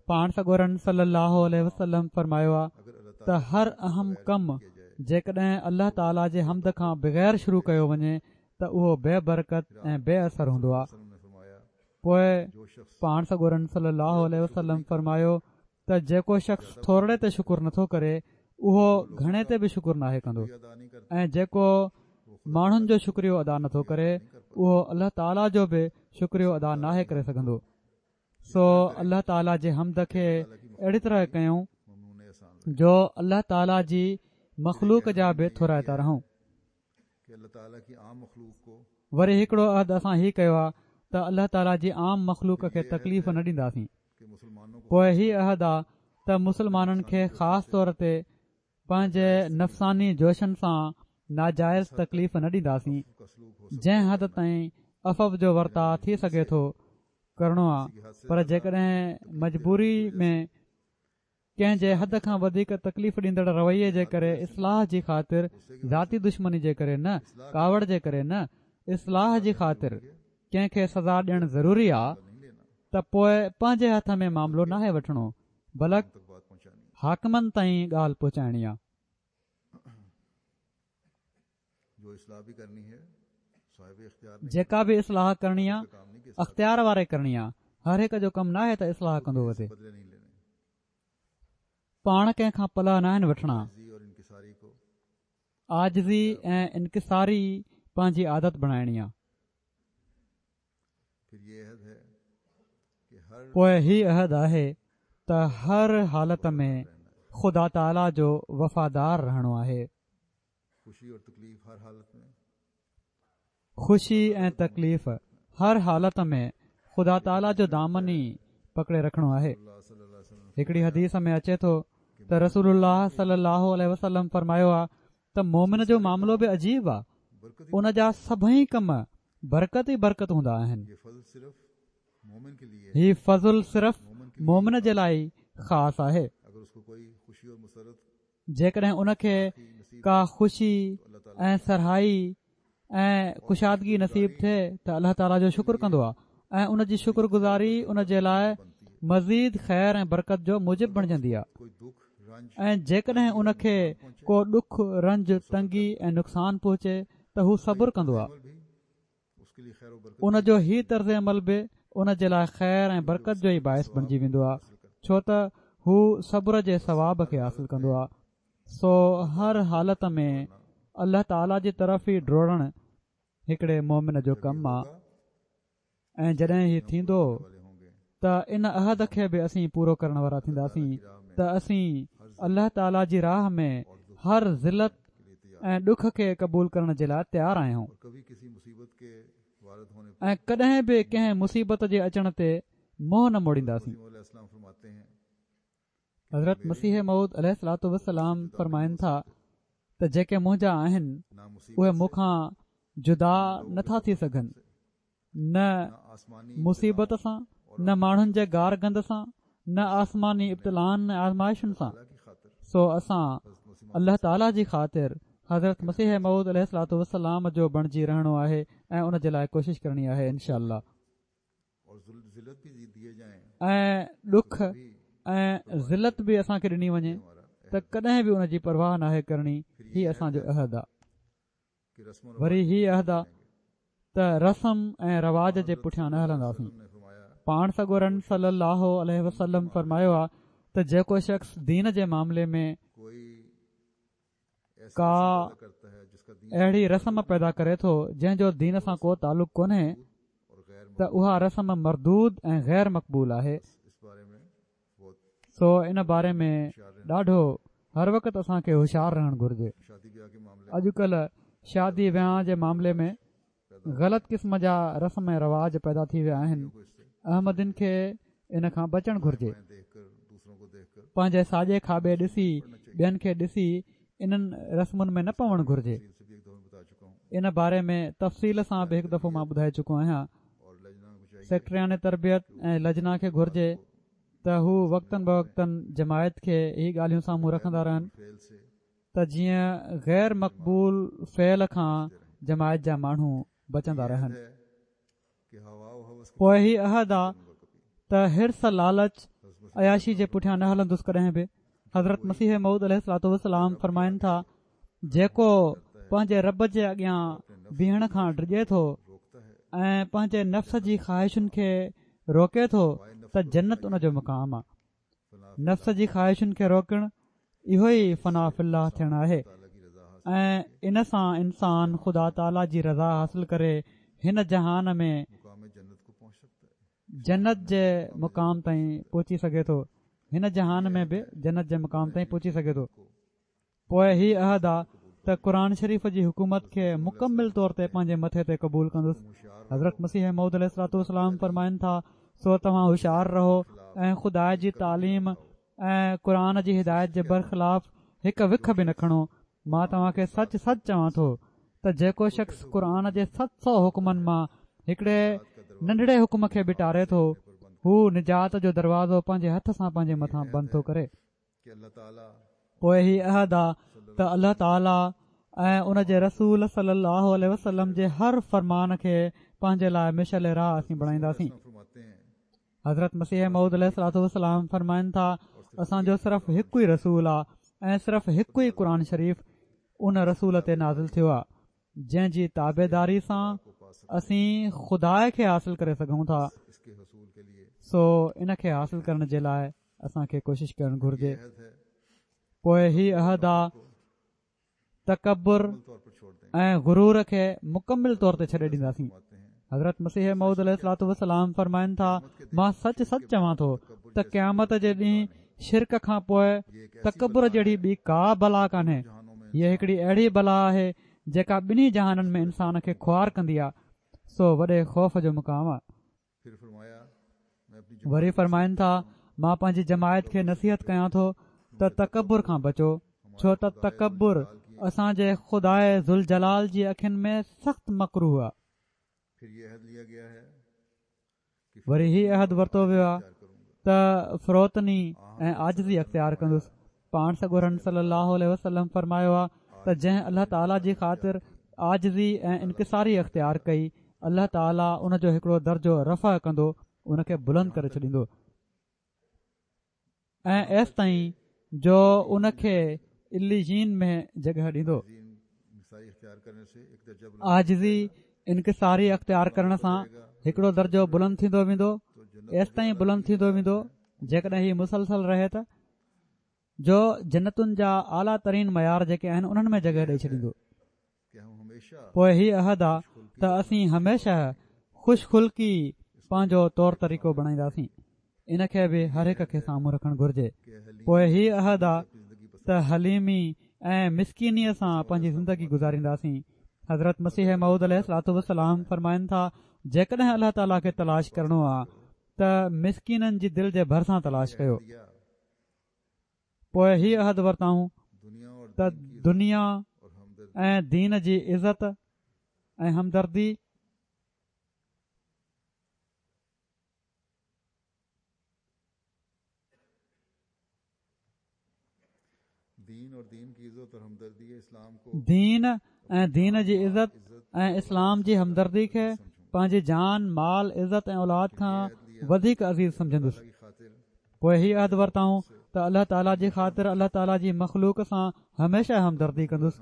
پاڻ سڳورن صلي الله عليه وسلم فرمايو آ ته هر اهم ڪم جيڪڏهن الله تعاليٰ جي حمد کان بغير شروع ڪيو وڃي ته اهو بي برڪت ۽ بي اثر هوندو آ. پوء پاڻ سڳورن صلي الله عليه وسلم فرمايو ته جيڪو شخص ٿورڙي تي شڪر نٿو ڪري اهو گهڻي تي به شڪر ناهي ڪندو ۽ جيڪو ماڻهن جو شڪريو ادا نٿو ڪري اهو الله تعاليٰ جو به شڪريو ادا ناهي ڪري سگهندو سو الله تعاليٰ جي حمد کي اهڙي طرح ڪيون جو الله تعاليٰ جي مخلوق جا به ٿورائتا رهون وري هڪڙو عهد اسان هي ڪيو آهي ته الله تعاليٰ جي عام مخلوق کي تڪليف نه ڏينداسين. پوء هي عهد آ ته مسلمانن کي خاص طور تي پنهنجي نفساني جوشن سان ناجائز تڪليف نه ڏينداسين. جنهن حد تائين عفو جو ورتاء ٿي سگهي ٿو ڪرڻو آ پر جيڪڏهن مجبوري ۾ ڪنهن جي حد کان وڌيڪ تڪليف ڏيندڙ رويي جي ڪري اصلاح جي خاطر ذاتي دشمني جي ڪري نه ڪاوڙ جي ڪري نه اصلاح جي خاطر ڪنهن کي سزا ڏيڻ ضروري آ ته پوء پنهنجي هٿ ۾ معاملو ناهي وٺڻو بلڪ حاڪمن تائين ڳالهه پهچائڻي آ. جيڪا به اصلاح ڪرڻي آ اختيار واري ڪرڻي آ هر هڪ جو ڪم ناهي ته اصلاح ڪندو وتي. پاڻ ڪنهن کان پلئه ناهن وٺڻا. عاجزي ۽ انڪساري پنهنجي عادت بڻائڻي آ. پوء هي عهد آهي ته هر حالت ۾ خدا تعاليٰ جو وفادار رهڻو آهي. خوشي ۽ تڪليف هر حالت ۾ خدا تعاليٰ جو دامن ئي پڪڙي رکڻو آهي. هڪڙي حديث ۾ اچي ٿو ته رسول الله صلي الله عليه وسلم فرمايو آ ته مومن جو معاملو به عجيب آ ان جا سڀئي ڪم برڪت ئي برڪت هوندا آهن. هي فضل صرف مومن جي لاء ئي خاص آهي. جيڪڏهن ان کي ڪا خوشي ۽ سرهائي ۽ ڪشادگي نصيب ٿئي ته الله تعاليٰ جو شڪر ڪندو آهي ۽ ان جي شڪر گذاري ان جي لاء مزيد خير ۽ برڪت جو موجب بڻجندي آهي ۽ جيڪڏهن ان کي ڪو ڏک رنج تنگي ۽ نقصان پهچي ته هو صبر ڪندو آهي ان جو هي طرز عمل به ان جي لاء خير ۽ برڪت جو ئي باعث بڻجي ويندو آهي ڇو ته هو صبر جي ثواب کي حاصل ڪندو آهي سو هر حالت ۾ الله تعاليٰ جي طرف ئي ڊوڙڻ هڪڙي مومن جو ڪم آهي ۽ جڏهن هي ٿيندو ته ان عهد کي به اسين پورو ڪرڻ وارا ٿينداسين ته اسين الله تعالي جي راهه ۾ هر ذلت ۽ ڏک کي قبول ڪرڻ جي لاء تيار آهيون ۽ ڪڏهن به ڪنهن مصيبت جي اچڻ تي منهن نه موڙينداسين. حضرت مسيح موعود عليه الصلوة والسلام فرمائن ٿا ته جيڪي منهنجا آهن اهي مون کان جدا نٿا ٿي سگهن نه مصيبت سان نه ماڻهن جي گار گند سان نه آسماني ابتلائن ۽ آزمائشن سان سو اسان الله تعالي جي خاطر حضرت مسيح موعود عليه الصلوة والسلام جو بڻجي رهڻو آهي ۽ ان جي لاء ڪوشش ڪرڻي آهي انشاء الله ۽ ڏک ۽ ذلت به اسان کي ڏني وڃي ته ڪڏهن به ان جي پرواهه ناهي ڪرڻي هي اسان جو عهد آ وري هي عهد آ ته رسم ۽ رواج جي پٺيان نه هلنداسين پاڻ سڳورن صلي الله عليه وسلم فرمايو آ ته جيڪو شخص دين جي معاملي ۾ ڪا اهڙي رسم پيدا ڪري ٿو جنهن جو دين سان ڪو تعلق ڪونهي ته اها رسم مردود ۽ غير مقبول آهي سو ان باري ۾ ڏاڍو هر وقت اسان کي هوشيار رهڻ گهرجي. اڄڪلهه شادي وهانء جي معاملي ۾ غلط قسم جا رسم ۽ رواج پيدا ٿي ويا آهن. احمدين کي ان کان بچڻ گهرجي. پنهنجي ساڄي کاٻي ڏسي ٻين کي ڏسي انهن رسمن ۾ نه پوڻ گهرجي. ان باري ۾ تفصيل سان به هڪ دفعو مان ٻڌائي چڪو آهيان. سيڪريٽريان تربيت ۽ لجنا کي گهرجي ته هو وقتن بوقتن جماعت کي هي ڳالهيون سامهون رکندا رهن ته جيئن غير مقبول فعل کان جماعت جا ماڻهو بچندا رهن. پوء هي عهد آ ته حرص لالچ عياشي جي پٺيان نه هلندس ڪڏهن به. حضرت مسيح موعود عليه الصلوة والسلام فرمائن ٿا جيڪو پنهنجي رب جي اڳيان بيهڻ کان ڊڄي ٿو ۽ پنهنجي نفس جي خواهشن کي روڪي ٿو ته جنت ان جو مقام آ نفس جي خواهشن کي روڪڻ اهو ئي فنا في الله ٿيڻ آهي ۽ ان سان انسان خدا تعاليٰ جي رضا حاصل ڪري هن جهان ۾ جنت جي مقام تائين پهچي سگهي ٿو هن جهان ۾ به جنت جي مقام تائين پهچي سگهي ٿو پوء هي عهد آ ته قرآن شريف جي حڪومت کي مڪمل طور تي پنهنجي مٿي تي قبول ڪندس حضرت مسيح موعود عليه الصلوة والسلام فرمائن ٿا سو توهان هوشيار رهو ۽ خدا جي تعليم ۽ قرآن جي هدايت جي برخلاف هڪ وک به نه کڻو مان توهان کي سچ سچ چوان ٿو ته جيڪو شخص قرآن جي 700 حڪمن مان هڪڙي ننڍڙي حڪم کي به ٽاري ٿو هو نجات جو دروازو پنهنجي هٿ سان پنهنجي مٿان بند ٿو ڪري. پوء هي عهد آ ته الله تعالي ۽ ان جي رسول صلي الله عليه وسلم جي هر فرمان کي پنهنجي لاء مشعل راهه اسين بڻائينداسين. حضرت مسيح موعود عليه الصلوة والسلام فرمائن ٿا اسان جو صرف هڪ ئي رسول آ ۽ صرف هڪ ئي قرآن شريف ان رسول تي نازل ٿيو آ جنهن جي تابعداري سان اسين خدا کي حاصل ڪري سگهون ٿا سو ان کي حاصل ڪرڻ جي لاء اسان کي ڪوشش ڪرڻ گهرجي پوء هي عهد آ تڪبر ۽ غرور کي مڪمل طور تي ڇڏي ڏينداسين. حضرت مسيح موعود عليه الصلوة والسلام فرمائن ٿا، مان سچ سچ چوان ٿو ته قيامت جي ڏينهن شرڪ کان پوء تڪبر جهڙي ٻي ڪا بلا ڪانهي. هيء هڪڙي اهڙي بلا آهي جيڪا ٻنهي جهانن ۾ انسان کي خوار ڪندي آ، سو وڏي خوف جو مقام آ. وري فرمائن ٿا، مان پنهنجي جماعت کي نصيحت ڪيان ٿو ته تڪبر کان بچو، ڇو ته تڪبر اسان جي خداء ذوالجلال جي اکين ۾ سخت مڪروه آ. وري هي عهد ورتو ويو آ ته فروتني ۽ عاجزي اختيار ڪندس. پاڻ سڳورن صلي الله عليه وسلم فرمايو آ ته جنهن الله تعالي جي خاطر عاجزي ۽ انڪساري اختيار ڪئي الله تعالي ان جو هڪڙو درجو رفع ڪندو ان کي بلند ڪري ڇڏيندو ۽ ايستائين جو ان کي عليين ۾ جڳهه ڏيندو عاجزي انڪساري اختيار ڪرڻ سان هڪڙو درجو بلند ٿيندو ويندو ايستائين بلند ٿيندو ويندو جيڪڏهن هي مسلسل رهي ته جو جنتن جا اعليٰ ترين معيار جيڪي آهن انهن ۾ جڳهه ڏئي ڇڏيندو. پوء هي عهد آ ته اسين هميشه خوش خلقي پنهنجو طور طريقو بڻائينداسين. ان کي به هر هڪ کي سامهون رکڻ گهرجي. پوء هي عهد آ ته حليمي ۽ مسڪينيء سان پنهنجي زندگي گذارينداسين. حضرت مسيح موعود عليه الصلوة والسلام فرمائن ٿا، جيڪڏهن الله تعاليٰ کي تلاش ڪرڻو آ ته مسڪينن جي دل جي ڀرسان تلاش ڪيو. پوء هي عهد ورتائون ته دنيا ۽ دين جي عزت ۽ همدردي، دين ۽ دين جي عزت ۽ اسلام جي همدردي کي پنهنجي جان، مال، عزت ۽ اولاد کان وڌيڪ عزيز سمجهندس. پوء هي عهد ورتائون ته الله تعاليٰ جي خاطر الله تعاليٰ جي مخلوق سان هميشه همدردي ڪندس.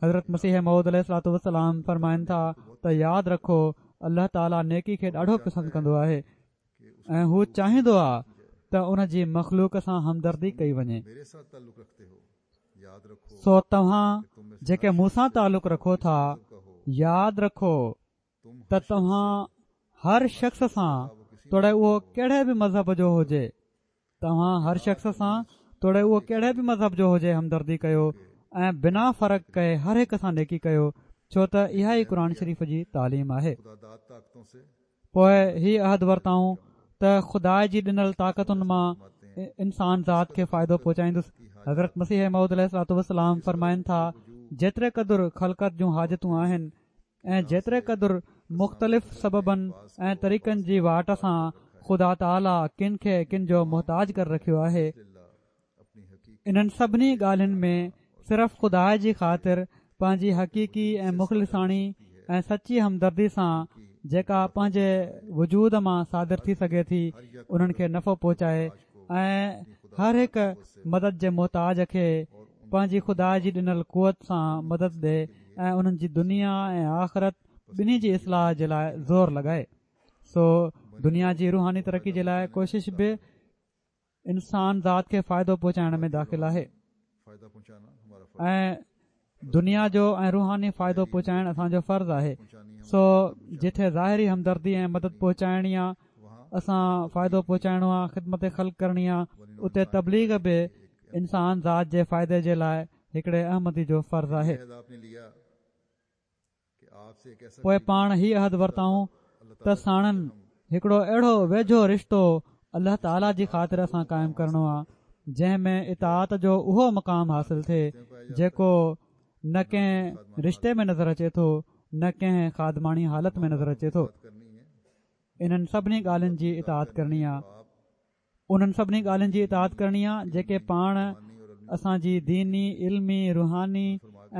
حضرت مسيح موعود عليه الصلوة والسلام فرمائن ٿا ته ياد رکو الله تعاليٰ نيڪي کي ڏاڍو پسند ڪندو آهي ۽ هو چاهيندو آهي ته ان جي مخلوق سان همدردي ڪئي وڃي سو توهان جيڪي مون سان تعلق رکو ٿا ياد رکو ته توهان هر شخص سان توڙي اهو ڪهڙي به مذهب جو هجي توهان هر شخص سان توڙي اهو ڪهڙي به مذهب جو هجي همدردي ڪيو ۽ بنا فرق ڪئي هر هڪ سان نيڪي ڪيو ڇو ته اها ئي قرآن شريف جي تعليم آهي. پوء هي عهد ورتائون ته خدا جي ڏنل طاقتن مان انسان ذات کي فائدو پهچائيندس. حضرت مسيح موعود عليه الصلوة والسلام فرمائن ٿا جيتري قدر خلقت جون حاجتون آهن ۽ جيتري قدر مختلف سببن ۽ طريقن جي واٽ سان خدا تعاليٰ ڪن کي ڪن جو محتاج ڪري رکيو آهي، انهن سڀني ڳالهين ۾ صرف خدا جي خاطر پنهنجي حقيقي ۽ مخلصاڻي ۽ سچي همدردي سان جيڪا پنهنجي وجود مان صادر ٿي سگهي ٿي انهن کي نفعو پهچائي ۽ هر هڪ مدد جي محتاج کي پنهنجي خدا جي ڏنل قوت سان مدد ڏي ۽ انهن جي دنيا ۽ آخرت ٻنهي جي اصلاح جي لاء زور لڳائي سو دنيا جي روحاني ترقي جي لاء ڪوشش به انسان ذات کي فائدو پهچائڻ ۾ داخل آهي ۽ دنيا جو ۽ روحاني فائدو پهچائڻ اسان جو فرض آهي سو جتي ظاهري همدردي ۽ مدد پهچائڻي آ اسان فائدو پهچائڻو آ خدمت خلق ڪرڻي آ اتي تبليغ به انسان ذات جي فائدي جي لاء هڪڙي احمدي جو فرض آهي. پوء پاڻ هي عهد ورتائون ته ساڻن هڪڙو اهڙو ويجهو رشتو الله تعاليٰ جي خاطر اسان قائم ڪرڻو آ جنهن ۾ اطاعت جو اهو مقام حاصل ٿئي جيڪو نه ڪنهن رشتي ۾ نظر اچي ٿو نه ڪنهن خادماڻي حالت ۾ نظر اچي ٿو. انهن سڀني ڳالهين جي اطاعت ڪرڻي آ. انهن سڀني ڳالهين جي اطاعت ڪرڻي آ جيڪي پاڻ اسان جي ديني، علمي، روحاني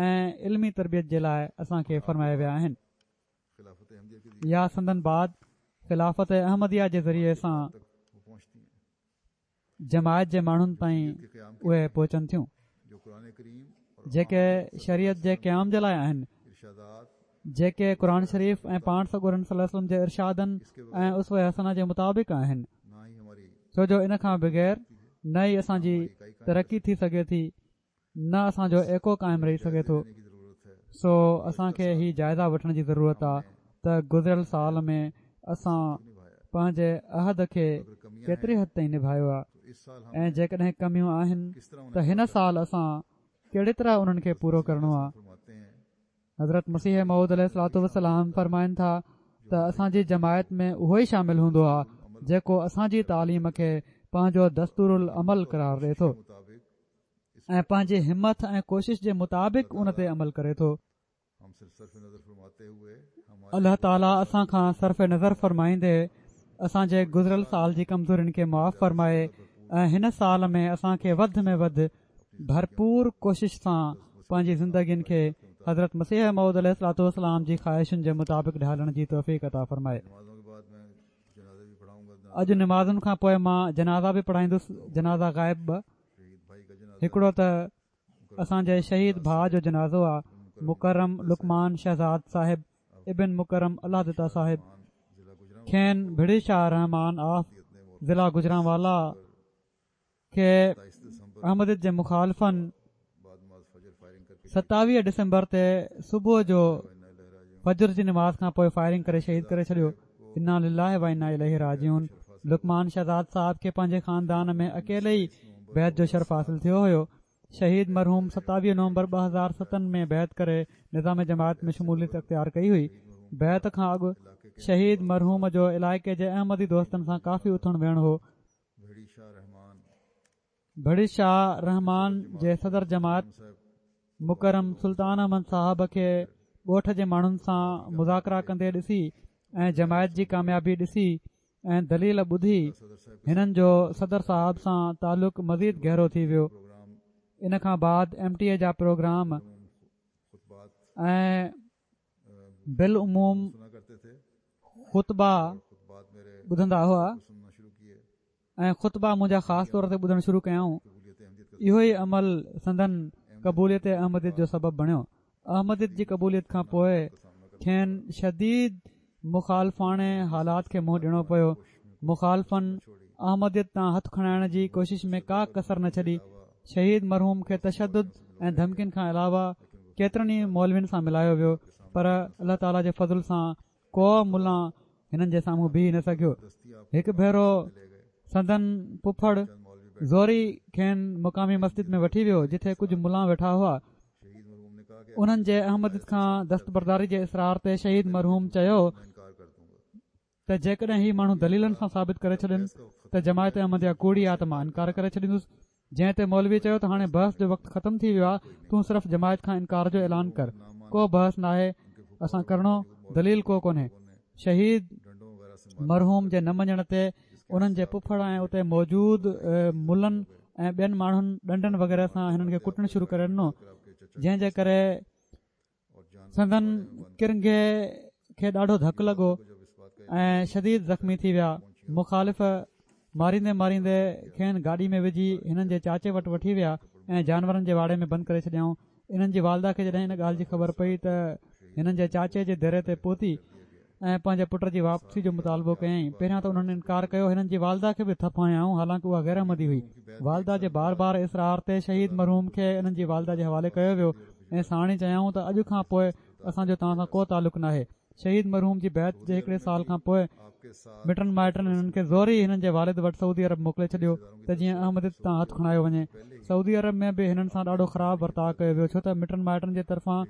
۽ علمي تربيت جي لاء اسان کي فرمائي ويا آهن يا سندن بعد خلافت احمديه جي ذريعي سان جماعت جي ماڻهن تائين اهي پهچن ٿيون جيڪي شريعت جي قيام جي لاء آهن. جيڪي قرآن شريف ۽ پاڻ سڳورن صلي الله عليه وسلم جي ارشادن ۽ اسوه حسنه جي مطابق آهن ڇو جو ان کان بغير نه ئي اسان جي ترقي ٿي سگهي ٿي نه اسان جو ايڪو قائم رهي سگهي ٿو سو اسان کي هي جائزه وٺڻ جي ضرورت آ ته گذريل سال ۾ اسان پنهنجي عهد کي ڪيتري حد تائين نڀايو آ ۽ جيڪڏهن ڪميون آهن ته هن سال اسان ڪهڙي طرح انهن کي پورو ڪرڻو آ حضرت مسيح موعود عليه الصلوة والسلام فرمائن ٿا ته اسان جي جماعت ۾ اهو ئي شامل هوندو آهي جيڪو اسان جي تعليم کي پنهنجو دستور العمل قرار ڏئي ٿو ۽ پنهنجي همٿ ۽ ڪوشش جي مطابق ان تي عمل ڪري ٿو. الله تعالي اسان کان صرف نظر فرمائيندي اسان جي گذريل سال جي ڪمزورين کي معاف فرمائي ۽ هن سال ۾ اسان کي وڌ ۾ وڌ ڀرپور ڪوشش سان پنهنجي زندگين کي حضرت مسيح موعود عليه الصلوة والسلام جي خواهشن جي مطابق ڍالڻ جي توفيق عطا فرمائي. اڄ نمازن کان پوء مان جنازا به پڙهائيندس جنازا غائب ٻه هڪڙو ته اسان جي شهيد ڀاء جو جنازو آ مڪرم لقمان شهزاد صاحب ابن مڪرم الله دتا صاحب کين ڀڙي شاهه رحمان آف ضلع گجرانوالا کي احمديت جي مخالفن 27 ڊسمبر تي صبح جو فجر جي نماز کان پوء فائرنگ ڪري شهيد ڪري ڇڏيو انا لله و انا اليه راجعون. لقمان شهزاد صاحب کي پنهنجي خاندان ۾ اڪيلي ئي بيعت جو شرف حاصل ٿيو هيو. شهيد مرحوم 27 نومبر 2007 ۾ بيعت ڪري نظام جماعت ۾ شموليت اختيار ڪئي هئي. بيعت کان اڳ شهيد مرحوم جو علائقي جي احمدي دوستن سان ڪافي اٿڻ ويهڻ هو. ڀڙي شاهه رحمان جي صدر جماعت مڪرم سلطان احمد صاحب کي ڳوٺ جي ماڻهن سان مذاڪرا ڪندي ڏسي ۽ جماعت جي ڪاميابي ڏسي ۽ دليل ٻڌي هنن جو صدر صاحب سان تعلق مزيد گهرو ٿي ويو ان کان بعد ايم ٽي اي جا پروگرام ۽ بالعموم خطبا ٻڌندا هئا ۽ خطبا منهنجا خاص طور تي ٻڌڻ شروع ڪيائون اهو ئي عمل سندن قبوليت احمديت جو سبب بڻيو احمديت جي قبوليت کان پوء کين شديد مخالفاڻي حالات کي منهن ڏيڻو پيو مخالفن احمديت تان هٿ کڻائڻ جي ڪوشش ۾ ڪا ڪسر نه ڇڏي شهيد مرحوم کي تشدد ۽ ڌمڪين کان علاوه ڪيترن ئي مولوين سان ملايو ويو پر الله تعالي جي فضل سان ڪو ملان هنن جي سامهون بيهي نه سگهيو. هڪ ڀيرو سندن پڦڙ زوري کين مقامي مسجد ۾ وٺي ويو جتي ڪجهه ملان ويٺا هئا. انهن جي احمديت کان دستبرداري جي اصرار تي شهيد مرحوم چيو ته جيڪڏهن هي ماڻهو دليلن سان ثابت ڪري ڇڏين ته جماعت احمديه ڪوڙي آ ته مان انڪار ڪري ڇڏيندس. جنهن تي مولوي چيو ته هاڻي بحث جو وقت ختم ٿي ويو آهي تون صرف جماعت کان انڪار جو اعلان ڪر ڪو بحث ناهي اسان ڪرڻو دليل ڪو ڪونهي شهيد مرحوم جي نه مڃڻ تي انهن جي پڦڙ ۽ اتي موجود ملن ۽ ٻين ماڻهن ڏنڊن وغيره سان هنن کي ڪٽڻ شروع ڪري ڏنو جنهن جي ڪري سندن ڪرنگهي کي ڏاڍو ڌڪ لڳو ۽ شديد زخمي ٿي ويا. مخالف ماريندي ماريندي کين گاڏي ۾ وجهي هنن جي چاچي وٽ وٺي ويا ۽ جانورن جي واڙي ۾ بند ڪري ڇڏيائون. انهن جي والده کي جڏهن ان ڳالهه جي خبر پئي ته هنن جي چاچي جي ديري تي پهتي ۽ پنهنجي پٽ جي واپسي جو مطالبو ڪيائين. پهريان ته انهن انڪار ڪيو، هنن جي والده کي به ٿڦ هنيائون، حالانڪ اها غير احمدي هئي. والده جي بار بار اصرار تي شهيد مرحوم کي انهن جي والده جي حوالي ڪيو ويو ۽ ساڻ ئي چيائون ته اڄ کان پوء اسان جو توهان سان ڪو تعلق ناهي. شهيد مرحوم جي بيعت جي هڪڙي سال کان پوء مٽن مائٽن هنن کي زوري هنن جي والد وٽ سعودي عرب موڪلي ڇڏيو ته جيئن احمديت تان هٿ کڻايو وڃي. سعودي عرب ۾ به هنن سان ڏاڍو خراب ورتاء ڪيو ويو ڇو ته مٽن مائٽن جي طرفان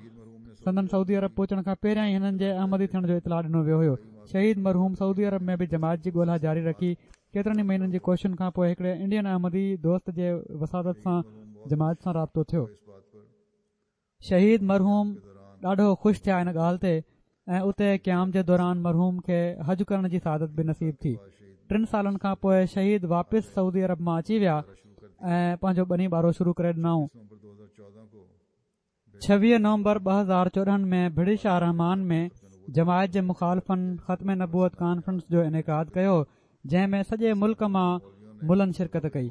سندن سعودي عرب پهچڻ کان پهريان ئي هنن جي احمدي ٿيڻ جو اطلاع ڏنو ويو هيو. شهيد مرحوم سعودي عرب ۾ به جماعت جي ڳولها جاري رکي. ڪيترن ئي مهينن جي ڪوششن کان پوء هڪڙي انڊين احمدي دوست جي وساطت سان جماعت سان رابطو ٿيو. شهيد مرحوم ڏاڍو خوش ٿيا ان ڳالهه تي ۽ اتي قيام جي دوران مرحوم کي حج ڪرڻ جي سعادت به نصيب ٿي. ٽن سالن کان پوء شهيد واپس سعودي عرب مان اچي ويا ۽ پنهنجو ٻني ٻارو شروع ڪري ڏنائون. 26 نومبر 2014 ۾ ڀڙي شاهه رحمان ۾ جماعت جي مخالفن ختم نبوت ڪانفرنس جو انعقاد ڪيو جنهن ۾ سڄي ملڪ مان ملن شرڪت ڪئي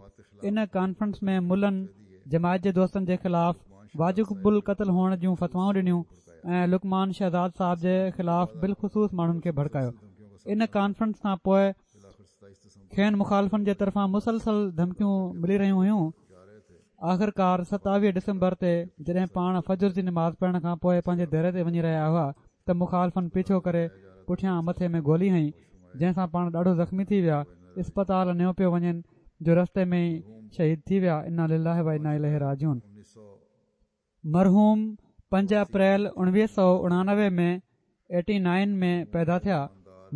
ان ڪانفرنس ۾ ملن جماعت جي دوستن جي خلاف واجب القتل هئڻ جون فتوائون ڏنيون ۽ لقمان شهزاد صاحب جي خلاف بالخصوص ماڻهن کي ڀڙڪايو ان ڪانفرنس کان پوء کين مخالفن جي طرفان مسلسل ڌمڪيون ملي رهيون هيون آخرڪار 27 ڊسمبر تي جڏهن پاڻ فجر جي نماز پڙهڻ کان پوء پنهنجي ديري تي وڃي رهيا هئا ته مخالفن پيڇو ڪري پٺيان مٿي ۾ گولي هنئي جنهن سان پاڻ ڏاڍو زخمي ٿي ويا اسپتال نيو پيو وڃين جو رستي ۾ ئي شهيد ٿي ويا انا لله و انا اليه راجعون. مرحوم پنج اپريل 1989 ۾ ايٽي نائن ۾ پيدا ٿيا.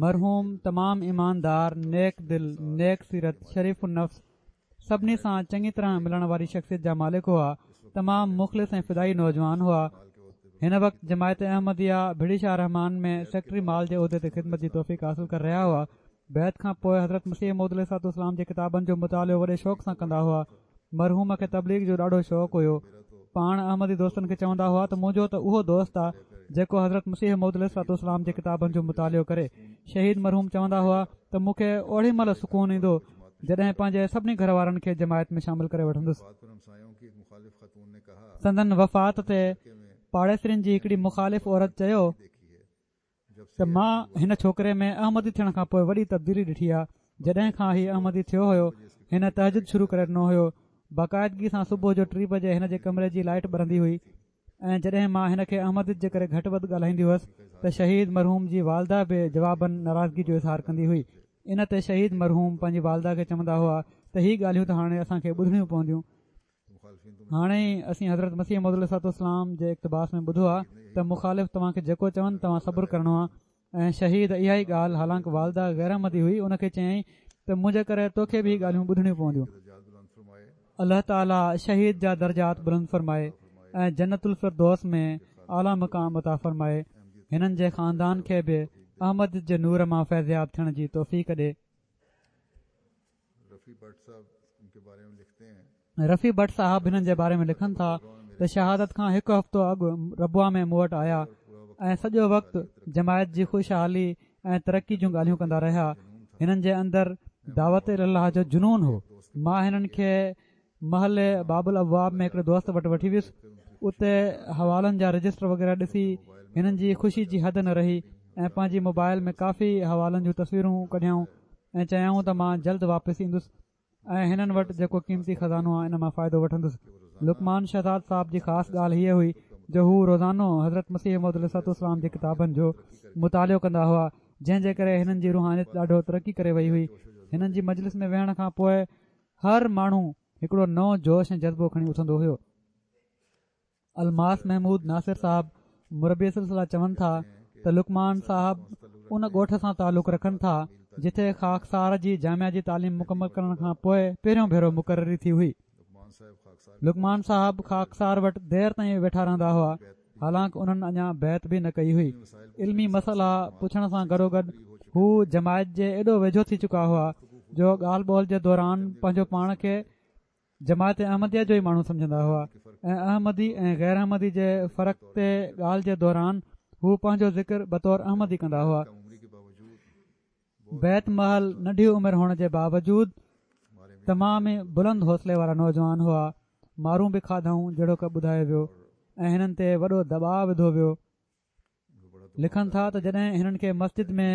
مرحوم تمام ايماندار، نيڪ دل، نيڪ سيرت، شريف النفس، سڀني سان چڱي طرح ملڻ واري شخصيت جا مالڪ هئا. تمام مخلص ۽ فدائي نوجوان هئا. هن وقت جماعت احمديه ڀڙي شاهه رحمان ۾ سيڪريٽري مال جي عهدي تي خدمت جي توفيق حاصل ڪري رهيا هئا. بيعت کان پوء حضرت مسيح موعود عليه الصلوة والسلام جي ڪتابن جو مطالعو وڏي شوق سان ڪندا هئا. مرحوم کي تبليغ جو ڏاڍو شوق هيو. پاڻ احمدي دوستن کي چوندا هئا ته منهنجو ته اهو دوست آ جيڪو حضرت مسيح موعود عليه الصلوة والسلام جي ڪتابن جو مطالعو ڪري. شهيد مرحوم چوندا هئا ته مون کي اوڏي مهل سڪون ايندو جڏهن پنهنجي سڀني گهر وارن کي جماعت ۾ شامل ڪري وٺندس. سندن وفات تي پاڙيسرين جي هڪڙي مخالف عورت چيو. ته مان هن ڇوڪري ۾ احمدي ٿيڻ کان پوء وڏي تبديلي ڏٺي آهي جڏهن کان هي احمدي ٿيو هيو هن تهجد شروع ڪري ڏنو هيو باقاعدگي سان صبح جو ٽي بجي هن جي ڪمري جي لائٽ ٻرندي هئي ۽ جڏهن مان هن کي احمديت جي ڪري گهٽ وڌ ڳالهائيندي هئس ته شهيد مرحوم جي والده به جوابن ناراضگي جو اظهار ڪندي هئي. ان تي شهيد مرحوم پنهنجي والده کي چوندا هئا ته هي ڳالهيون ته هاڻي اسان کي ٻڌڻيون پونديون. هاڻي ئي اسين حضرت مسيح موعود عليه الصلوة والسلام جي اقتباس ۾ ٻڌو آهي ته مخالف توهان کي جيڪو چون توهان صبر ڪرڻو آهي ۽ شهيد اها ئي ڳالهه حالانڪ والده غير احمدي هئي ان کي چيائين ته منهنجي ڪري توکي به هي ڳالهيون ٻڌڻيون پونديون. الله تعالي شهيد جا درجات بلند فرمائي ۽ جنت الفردوس ۾ اعليٰ مقام عطا فرمائي هنن جي خاندان کي به احمديت جي نور مان فيضياب ٿيڻ جي توفيق ڏي. رفيع بٽ صاحب هنن جي باري ۾ لکن ٿا ته شهادت کان هڪ هفتو اڳ ربوه ۾ مون وٽ آيا ۽ سڄو وقت جماعت جي خوشحالي ۽ ترقي جون ڳالهيون ڪندا رهيا هنن جي اندر دعوت الي الله جو جنون هو مان هنن کي محلي باب الابواب ۾ هڪڙي دوست وٽ وٺي ويس اتي حوالن جا رجسٽر وغيره ڏسي هنن جي خوشي جي حد نه رهي ۽ پنهنجي موبائل ۾ ڪافي حوالن جون تصويرون ڪڍيائون ۽ چيائون ته مان جلد واپس ايندس ۽ هنن وٽ جيڪو قيمتي خزانو آهي ان مان فائدو وٺندس لقمان شهزاد صاحب جي خاص ڳالهه هيء هئي جو هو روزانو حضرت مسيح موعود عليه الصلوة والسلام جي ڪتابن جو مطالعو ڪندا هئا جنهن جي ڪري هنن جي روحانيت ڏاڍو ترقي ڪري وئي هئي هنن جي مجلس ۾ ويهڻ کان پوء هر ماڻهو هڪڙو نئون جوش ۽ جذبو کڻي اٿندو هيو. الماس محمود ناصر صاحب مربي سلسله چون ٿا ته لقمان صاحب ان ڳوٺ سان تعلق رکن ٿا جتي خاڪسار جي جامعه جي تعليم مڪمل ڪرڻ کان پوء پهريون ڀيرو مقرري ٿي هئي. لقمان صاحب خاڪسار وٽ دير تائين ويٺا رهندا هئا. حالانڪ انهن اڃا بيعت به نه ڪئي هئي. علمي مسئلا پڇڻ سان گڏوگڏ هو جماعت جي ايڏو ويجهو ٿي چڪا هئا جو ڳالهه ٻولهه جي دوران پنهنجو پاڻ کي جماعت احمديه جو ئي ماڻهو سمجهندا هئا ۽ احمدي ۽ غير احمدي جي فرق تي ڳالهه جي دوران هو پنهنجو ذڪر بطور احمدي ڪندا هئا. بيعت مهل ننڍي عمر هئڻ جي باوجود تمام ئي بلند حوصلي وارا نوجوان هئا مارون به کاڌائون جهڙوڪ ٻڌايو ويو ۽ هنن تي وڏو دٻاء وڌو ويو لکن ٿا ته جڏهن هنن کي مسجد ۾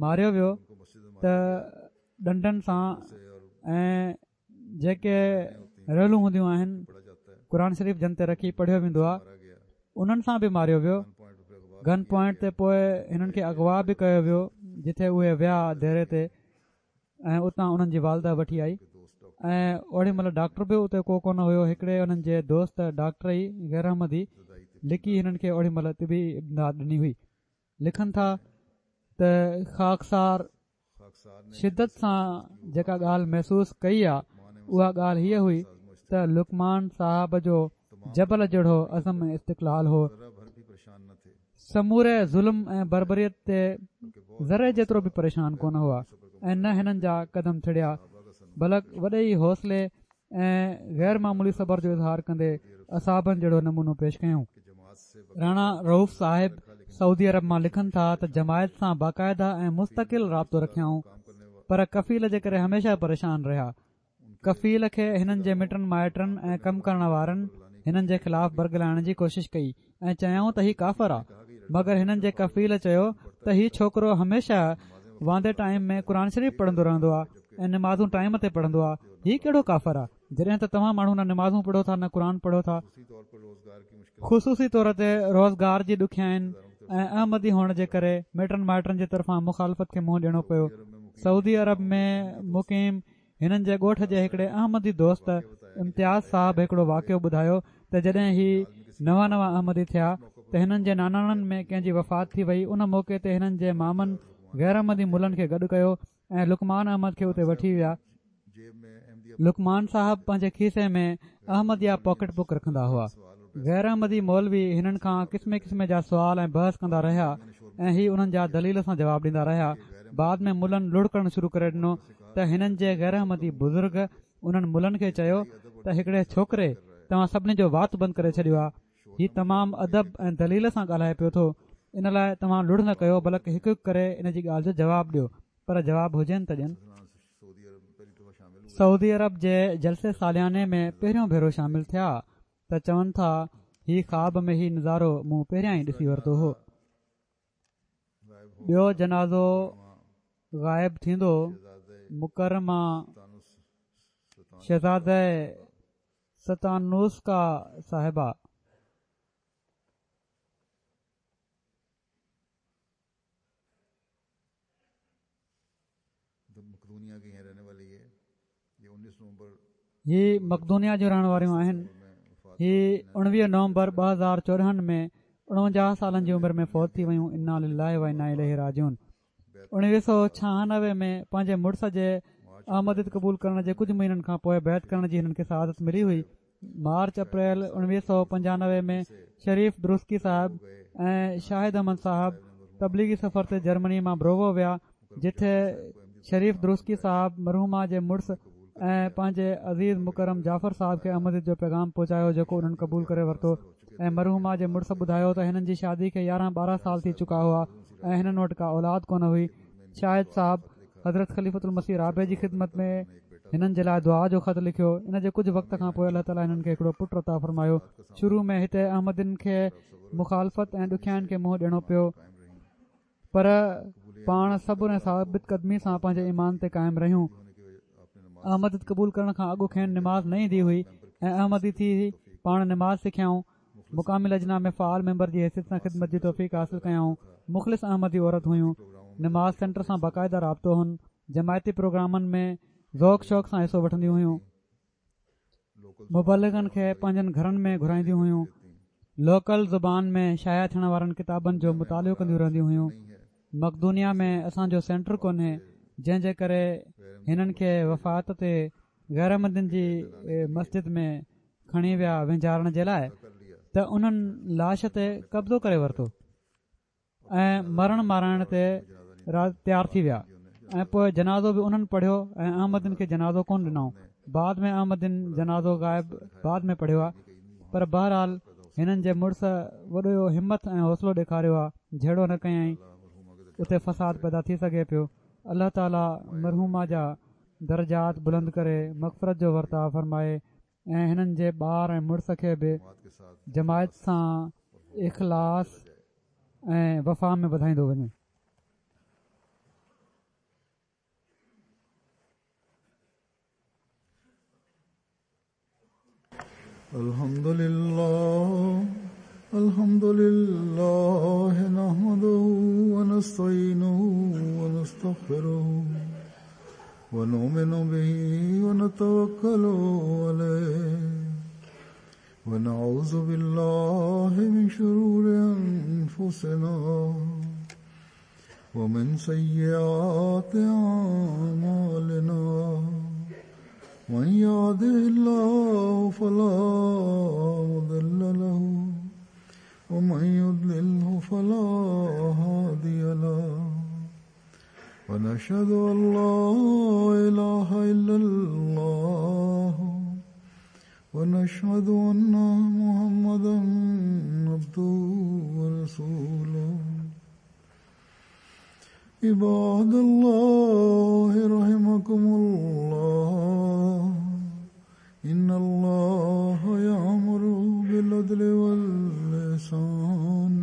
ماريو ويو ته ڏنڊن سان ۽ جيڪي ريلون هونديون آهن قرآن شريف جن تي رکي پڙهيو ويندو آهي انهن سان به ماريو ويو گن پوائنٽ تي پوء هنن کي اغوا به ڪيو ويو جتي اهي ويا ديري تي ۽ اتان انهن جي والده وٺي آئي ۽ اوڏي مهل ڊاڪٽر به اتي ڪو ڪونه هيو هڪڙي انهن جي دوست ڊاڪٽر ئي غير احمدي لڪي هنن کي اوڏي مهل طبي امداد ڏني هئي لکن ٿا ته خاڪسار شدت سان جيڪا ڳالهه محسوس ڪئي آ اها ڳالهه هيء هئي ته لقمان صاحب جو جبل جهڙو عزم ۽ استقلال هو سموري ظلم ۽ بربريت تي ذري جيترو به پريشان ڪونه هئا ۽ نه هنن جا قدم ٿڙيا بلڪ وڏي ئي حوصلي ۽ غير معمولي صبر جو اظهار ڪندي اصحابن جهڙو نمونو پيش ڪيائون. راڻا رئوف صاحب سعودي عرب مان لکن ٿا ته جماعت سان باقاعده ۽ مستقل رابطو رکيائون پر ڪفيل جي ڪري هميشه پريشان رهيا. ڪفيل کي هنن جي مٽن مائٽن ۽ ڪم ڪرڻ وارن هنن جي خلاف برغلائڻ جي ڪوشش ڪئي ۽ چيائون ته هي ڪافر آ مگر هنن جي ڪفيل چيو ته هي ڇوڪرو هميشه واندي ٽائيم ۾ قرآن شريف پڙهندو رهندو آ ۽ نمازون ٽائيم تي پڙهندو آ هي ڪهڙو ڪافر آ جڏهن ته توهان ماڻهو نه نمازون پڙهو ٿا نه قرآن پڙهو ٿا. خصوصي طور تي روزگار جي ڏکيائين ۽ احمدي هئڻ جي ڪري مٽن مائٽن جي طرفان مخالفت کي منهن ڏيڻو پيو سعودي عرب ۾ مقيم هنن جي ڳوٺ جي هڪڙي احمدي دوست امتياز صاحب هڪڙو واقعو ٻڌايو ته جڏهن هي نوان نوان احمدي ٿيا ته هنن جي ناناڻن ۾ ڪنهن جي وفات ٿي وئي ان موقعي تي هنن جي مامن غير احمدي ملن کي گڏ ڪيو ۽ لقمان احمد کي اتي وٺي ويا لقمان صاحب پنهنجي کيسي ۾ احمديه پاڪيٽ بڪ رکندا هئا غير احمدي مولوي هنن کان قسمين قسمين جا سوال ۽ بحث ڪندا رهيا ۽ هي انهن جا دليل سان جواب ڏيندا رهيا بعد ۾ ملن لڙ ڪرڻ شروع ڪري ڏنو ته هنن جي غير احمدي بزرگ انهن ملن کي چيو ته هڪڙي ڇوڪري توهان سڀني جو وات بند ڪري ڇڏيو آهي هي تمام ادب ۽ دليل سان ڳالهائي پيو ٿو ان لاء توهان لڙ نه ڪيو بلڪ هڪ هڪ ڪري ان جي ڳالهه جو جواب ڏيو پر جواب هجين ته ڏين. سعودي عرب جي جلسي سالياني ۾ پهريون ڀيرو شامل ٿيا ته چون ٿا هي خواب ۾ هي نظارو مون پهريان ئي ڏسي ورتو هو. ٻيو جنازو غائب ٿيندو مڪرمه شهزاده ستانوسڪا صاحبه. هي مقدونيا جون رهڻ واريون آهن. هي 19 نومبر 2014 ۾ 49 سالن جي عمر ۾ فوت ٿي ويون انا لله و انا اليه راجعون 1996 ۾ پنهنجي مڙس جي احمديت قبول ڪرڻ جي ڪجهه مهينن کان پوء بيعت ڪرڻ جي هنن کي سعادت ملي هئي مارچ اپريل 1995 ۾ شريف درسڪي صاحب ۽ شاهد احمد صاحب تبليغي سفر تي جرمني مان بروو ويا جتي شريف درسڪي صاحب مرحومه جي مڙس ۽ پنهنجي عزيز مڪرم جعفر صاحب کي احمديت جو پيغام پهچايو جيڪو انهن قبول ڪري ورتو ۽ مرحومه جي مڙس ٻڌايو ته هنن جي شادي کي يارهن ٻارهن سال ٿي چڪا هئا ۽ هنن وٽ ڪا اولاد ڪونه هئي شاهد صاحب حضرت خليفة المسيح رابع جي خدمت ۾ هنن جي لاء دعا جو خط لکيو ان جي ڪجهه وقت کان پوء الله تعالي هنن کي هڪڙو پٽ عطا فرمايو شروع ۾ هتي احمدين کي مخالفت ۽ ڏکيائين کي منهن ڏيڻو پيو پر پاڻ صبر ۽ ثابت قدمي سان پنهنجي ايمان تي قائم رهيون. احمديت قبول ڪرڻ کان اڳ کين نماز نه ايندي هئي ۽ احمدي ٿي پاڻ نماز سکيائون. مقامي لجنا ۾ فعال ميمبر جي حيثيت سان خدمت جي توفيق حاصل ڪيائون. مخلص احمدي عورت هيون. نماز سينٽر سان باقاعده رابطو هن. جماعتي پروگرامن ۾ ذوق شوق سان حصو وٺنديون هيون. مبلغن کي پنهنجن گهرن ۾ گهرائينديون هيون لوڪل زبان ۾ شايع ٿيڻ وارن ڪتابن جو مطالعو ڪنديون رهنديون هيون مقدونيا ۾ اسان جو سينٽر ڪونهي جنهن جي ڪري هنن کي وفات تي غير احمدين جي مسجد ۾ کڻي ويا وهنجارڻ جي لاء ته انهن لاش تي قبضو ڪري ورتو ۽ مرڻ مارائڻ تي تيار ٿي ويا ۽ پوء جنازو به انهن پڙهيو ۽ احمدين کي جنازو ڪونه ڏنائون بعد ۾ احمدين جنازو غائب بعد ۾ پڙهيو آهي پر بهرحال هنن جي مڙس وڏو همت ۽ حوصلو ڏيکاريو آهي جهيڙو نه ڪيائين اتي فساد پيدا ٿي سگهي پيو الله تعالي مرحومه جا درجات بلند ڪري مغفرت جو ورتاء فرمائي ۽ هنن جي ٻار ۽ مڙس کي به جماعت سان اخلاص ۽ وفا ۾ وڌائيندو وڃي. الحمد لله الحمد لله نحمده ونستعينه ونستغفره ونؤمن به ونتوكل عليه ونعوذ بالله من شرور أنفسنا ومن سيئات أعمالنا من يهده الله فلا مضل له ومن يضلله فلا هادي له ونشهد أن لا إله إلا الله ونشهد أن محمدا عبده ورسوله عباد الله رحمكم الله إن الله يأمر بالعدل والإحسان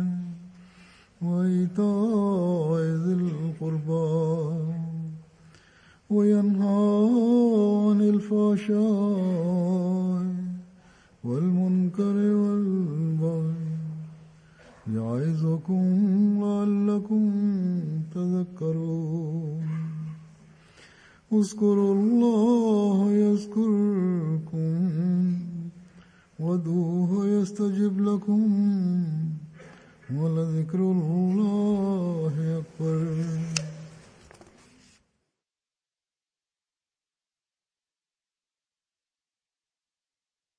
وإيتاء ذي القربى وينهى عن الفحشاء والمنكر والبغي يعظكم لعلكم تذكرون اذكروا الله يذكركم وادعوه يستجب لكم ولذكر الله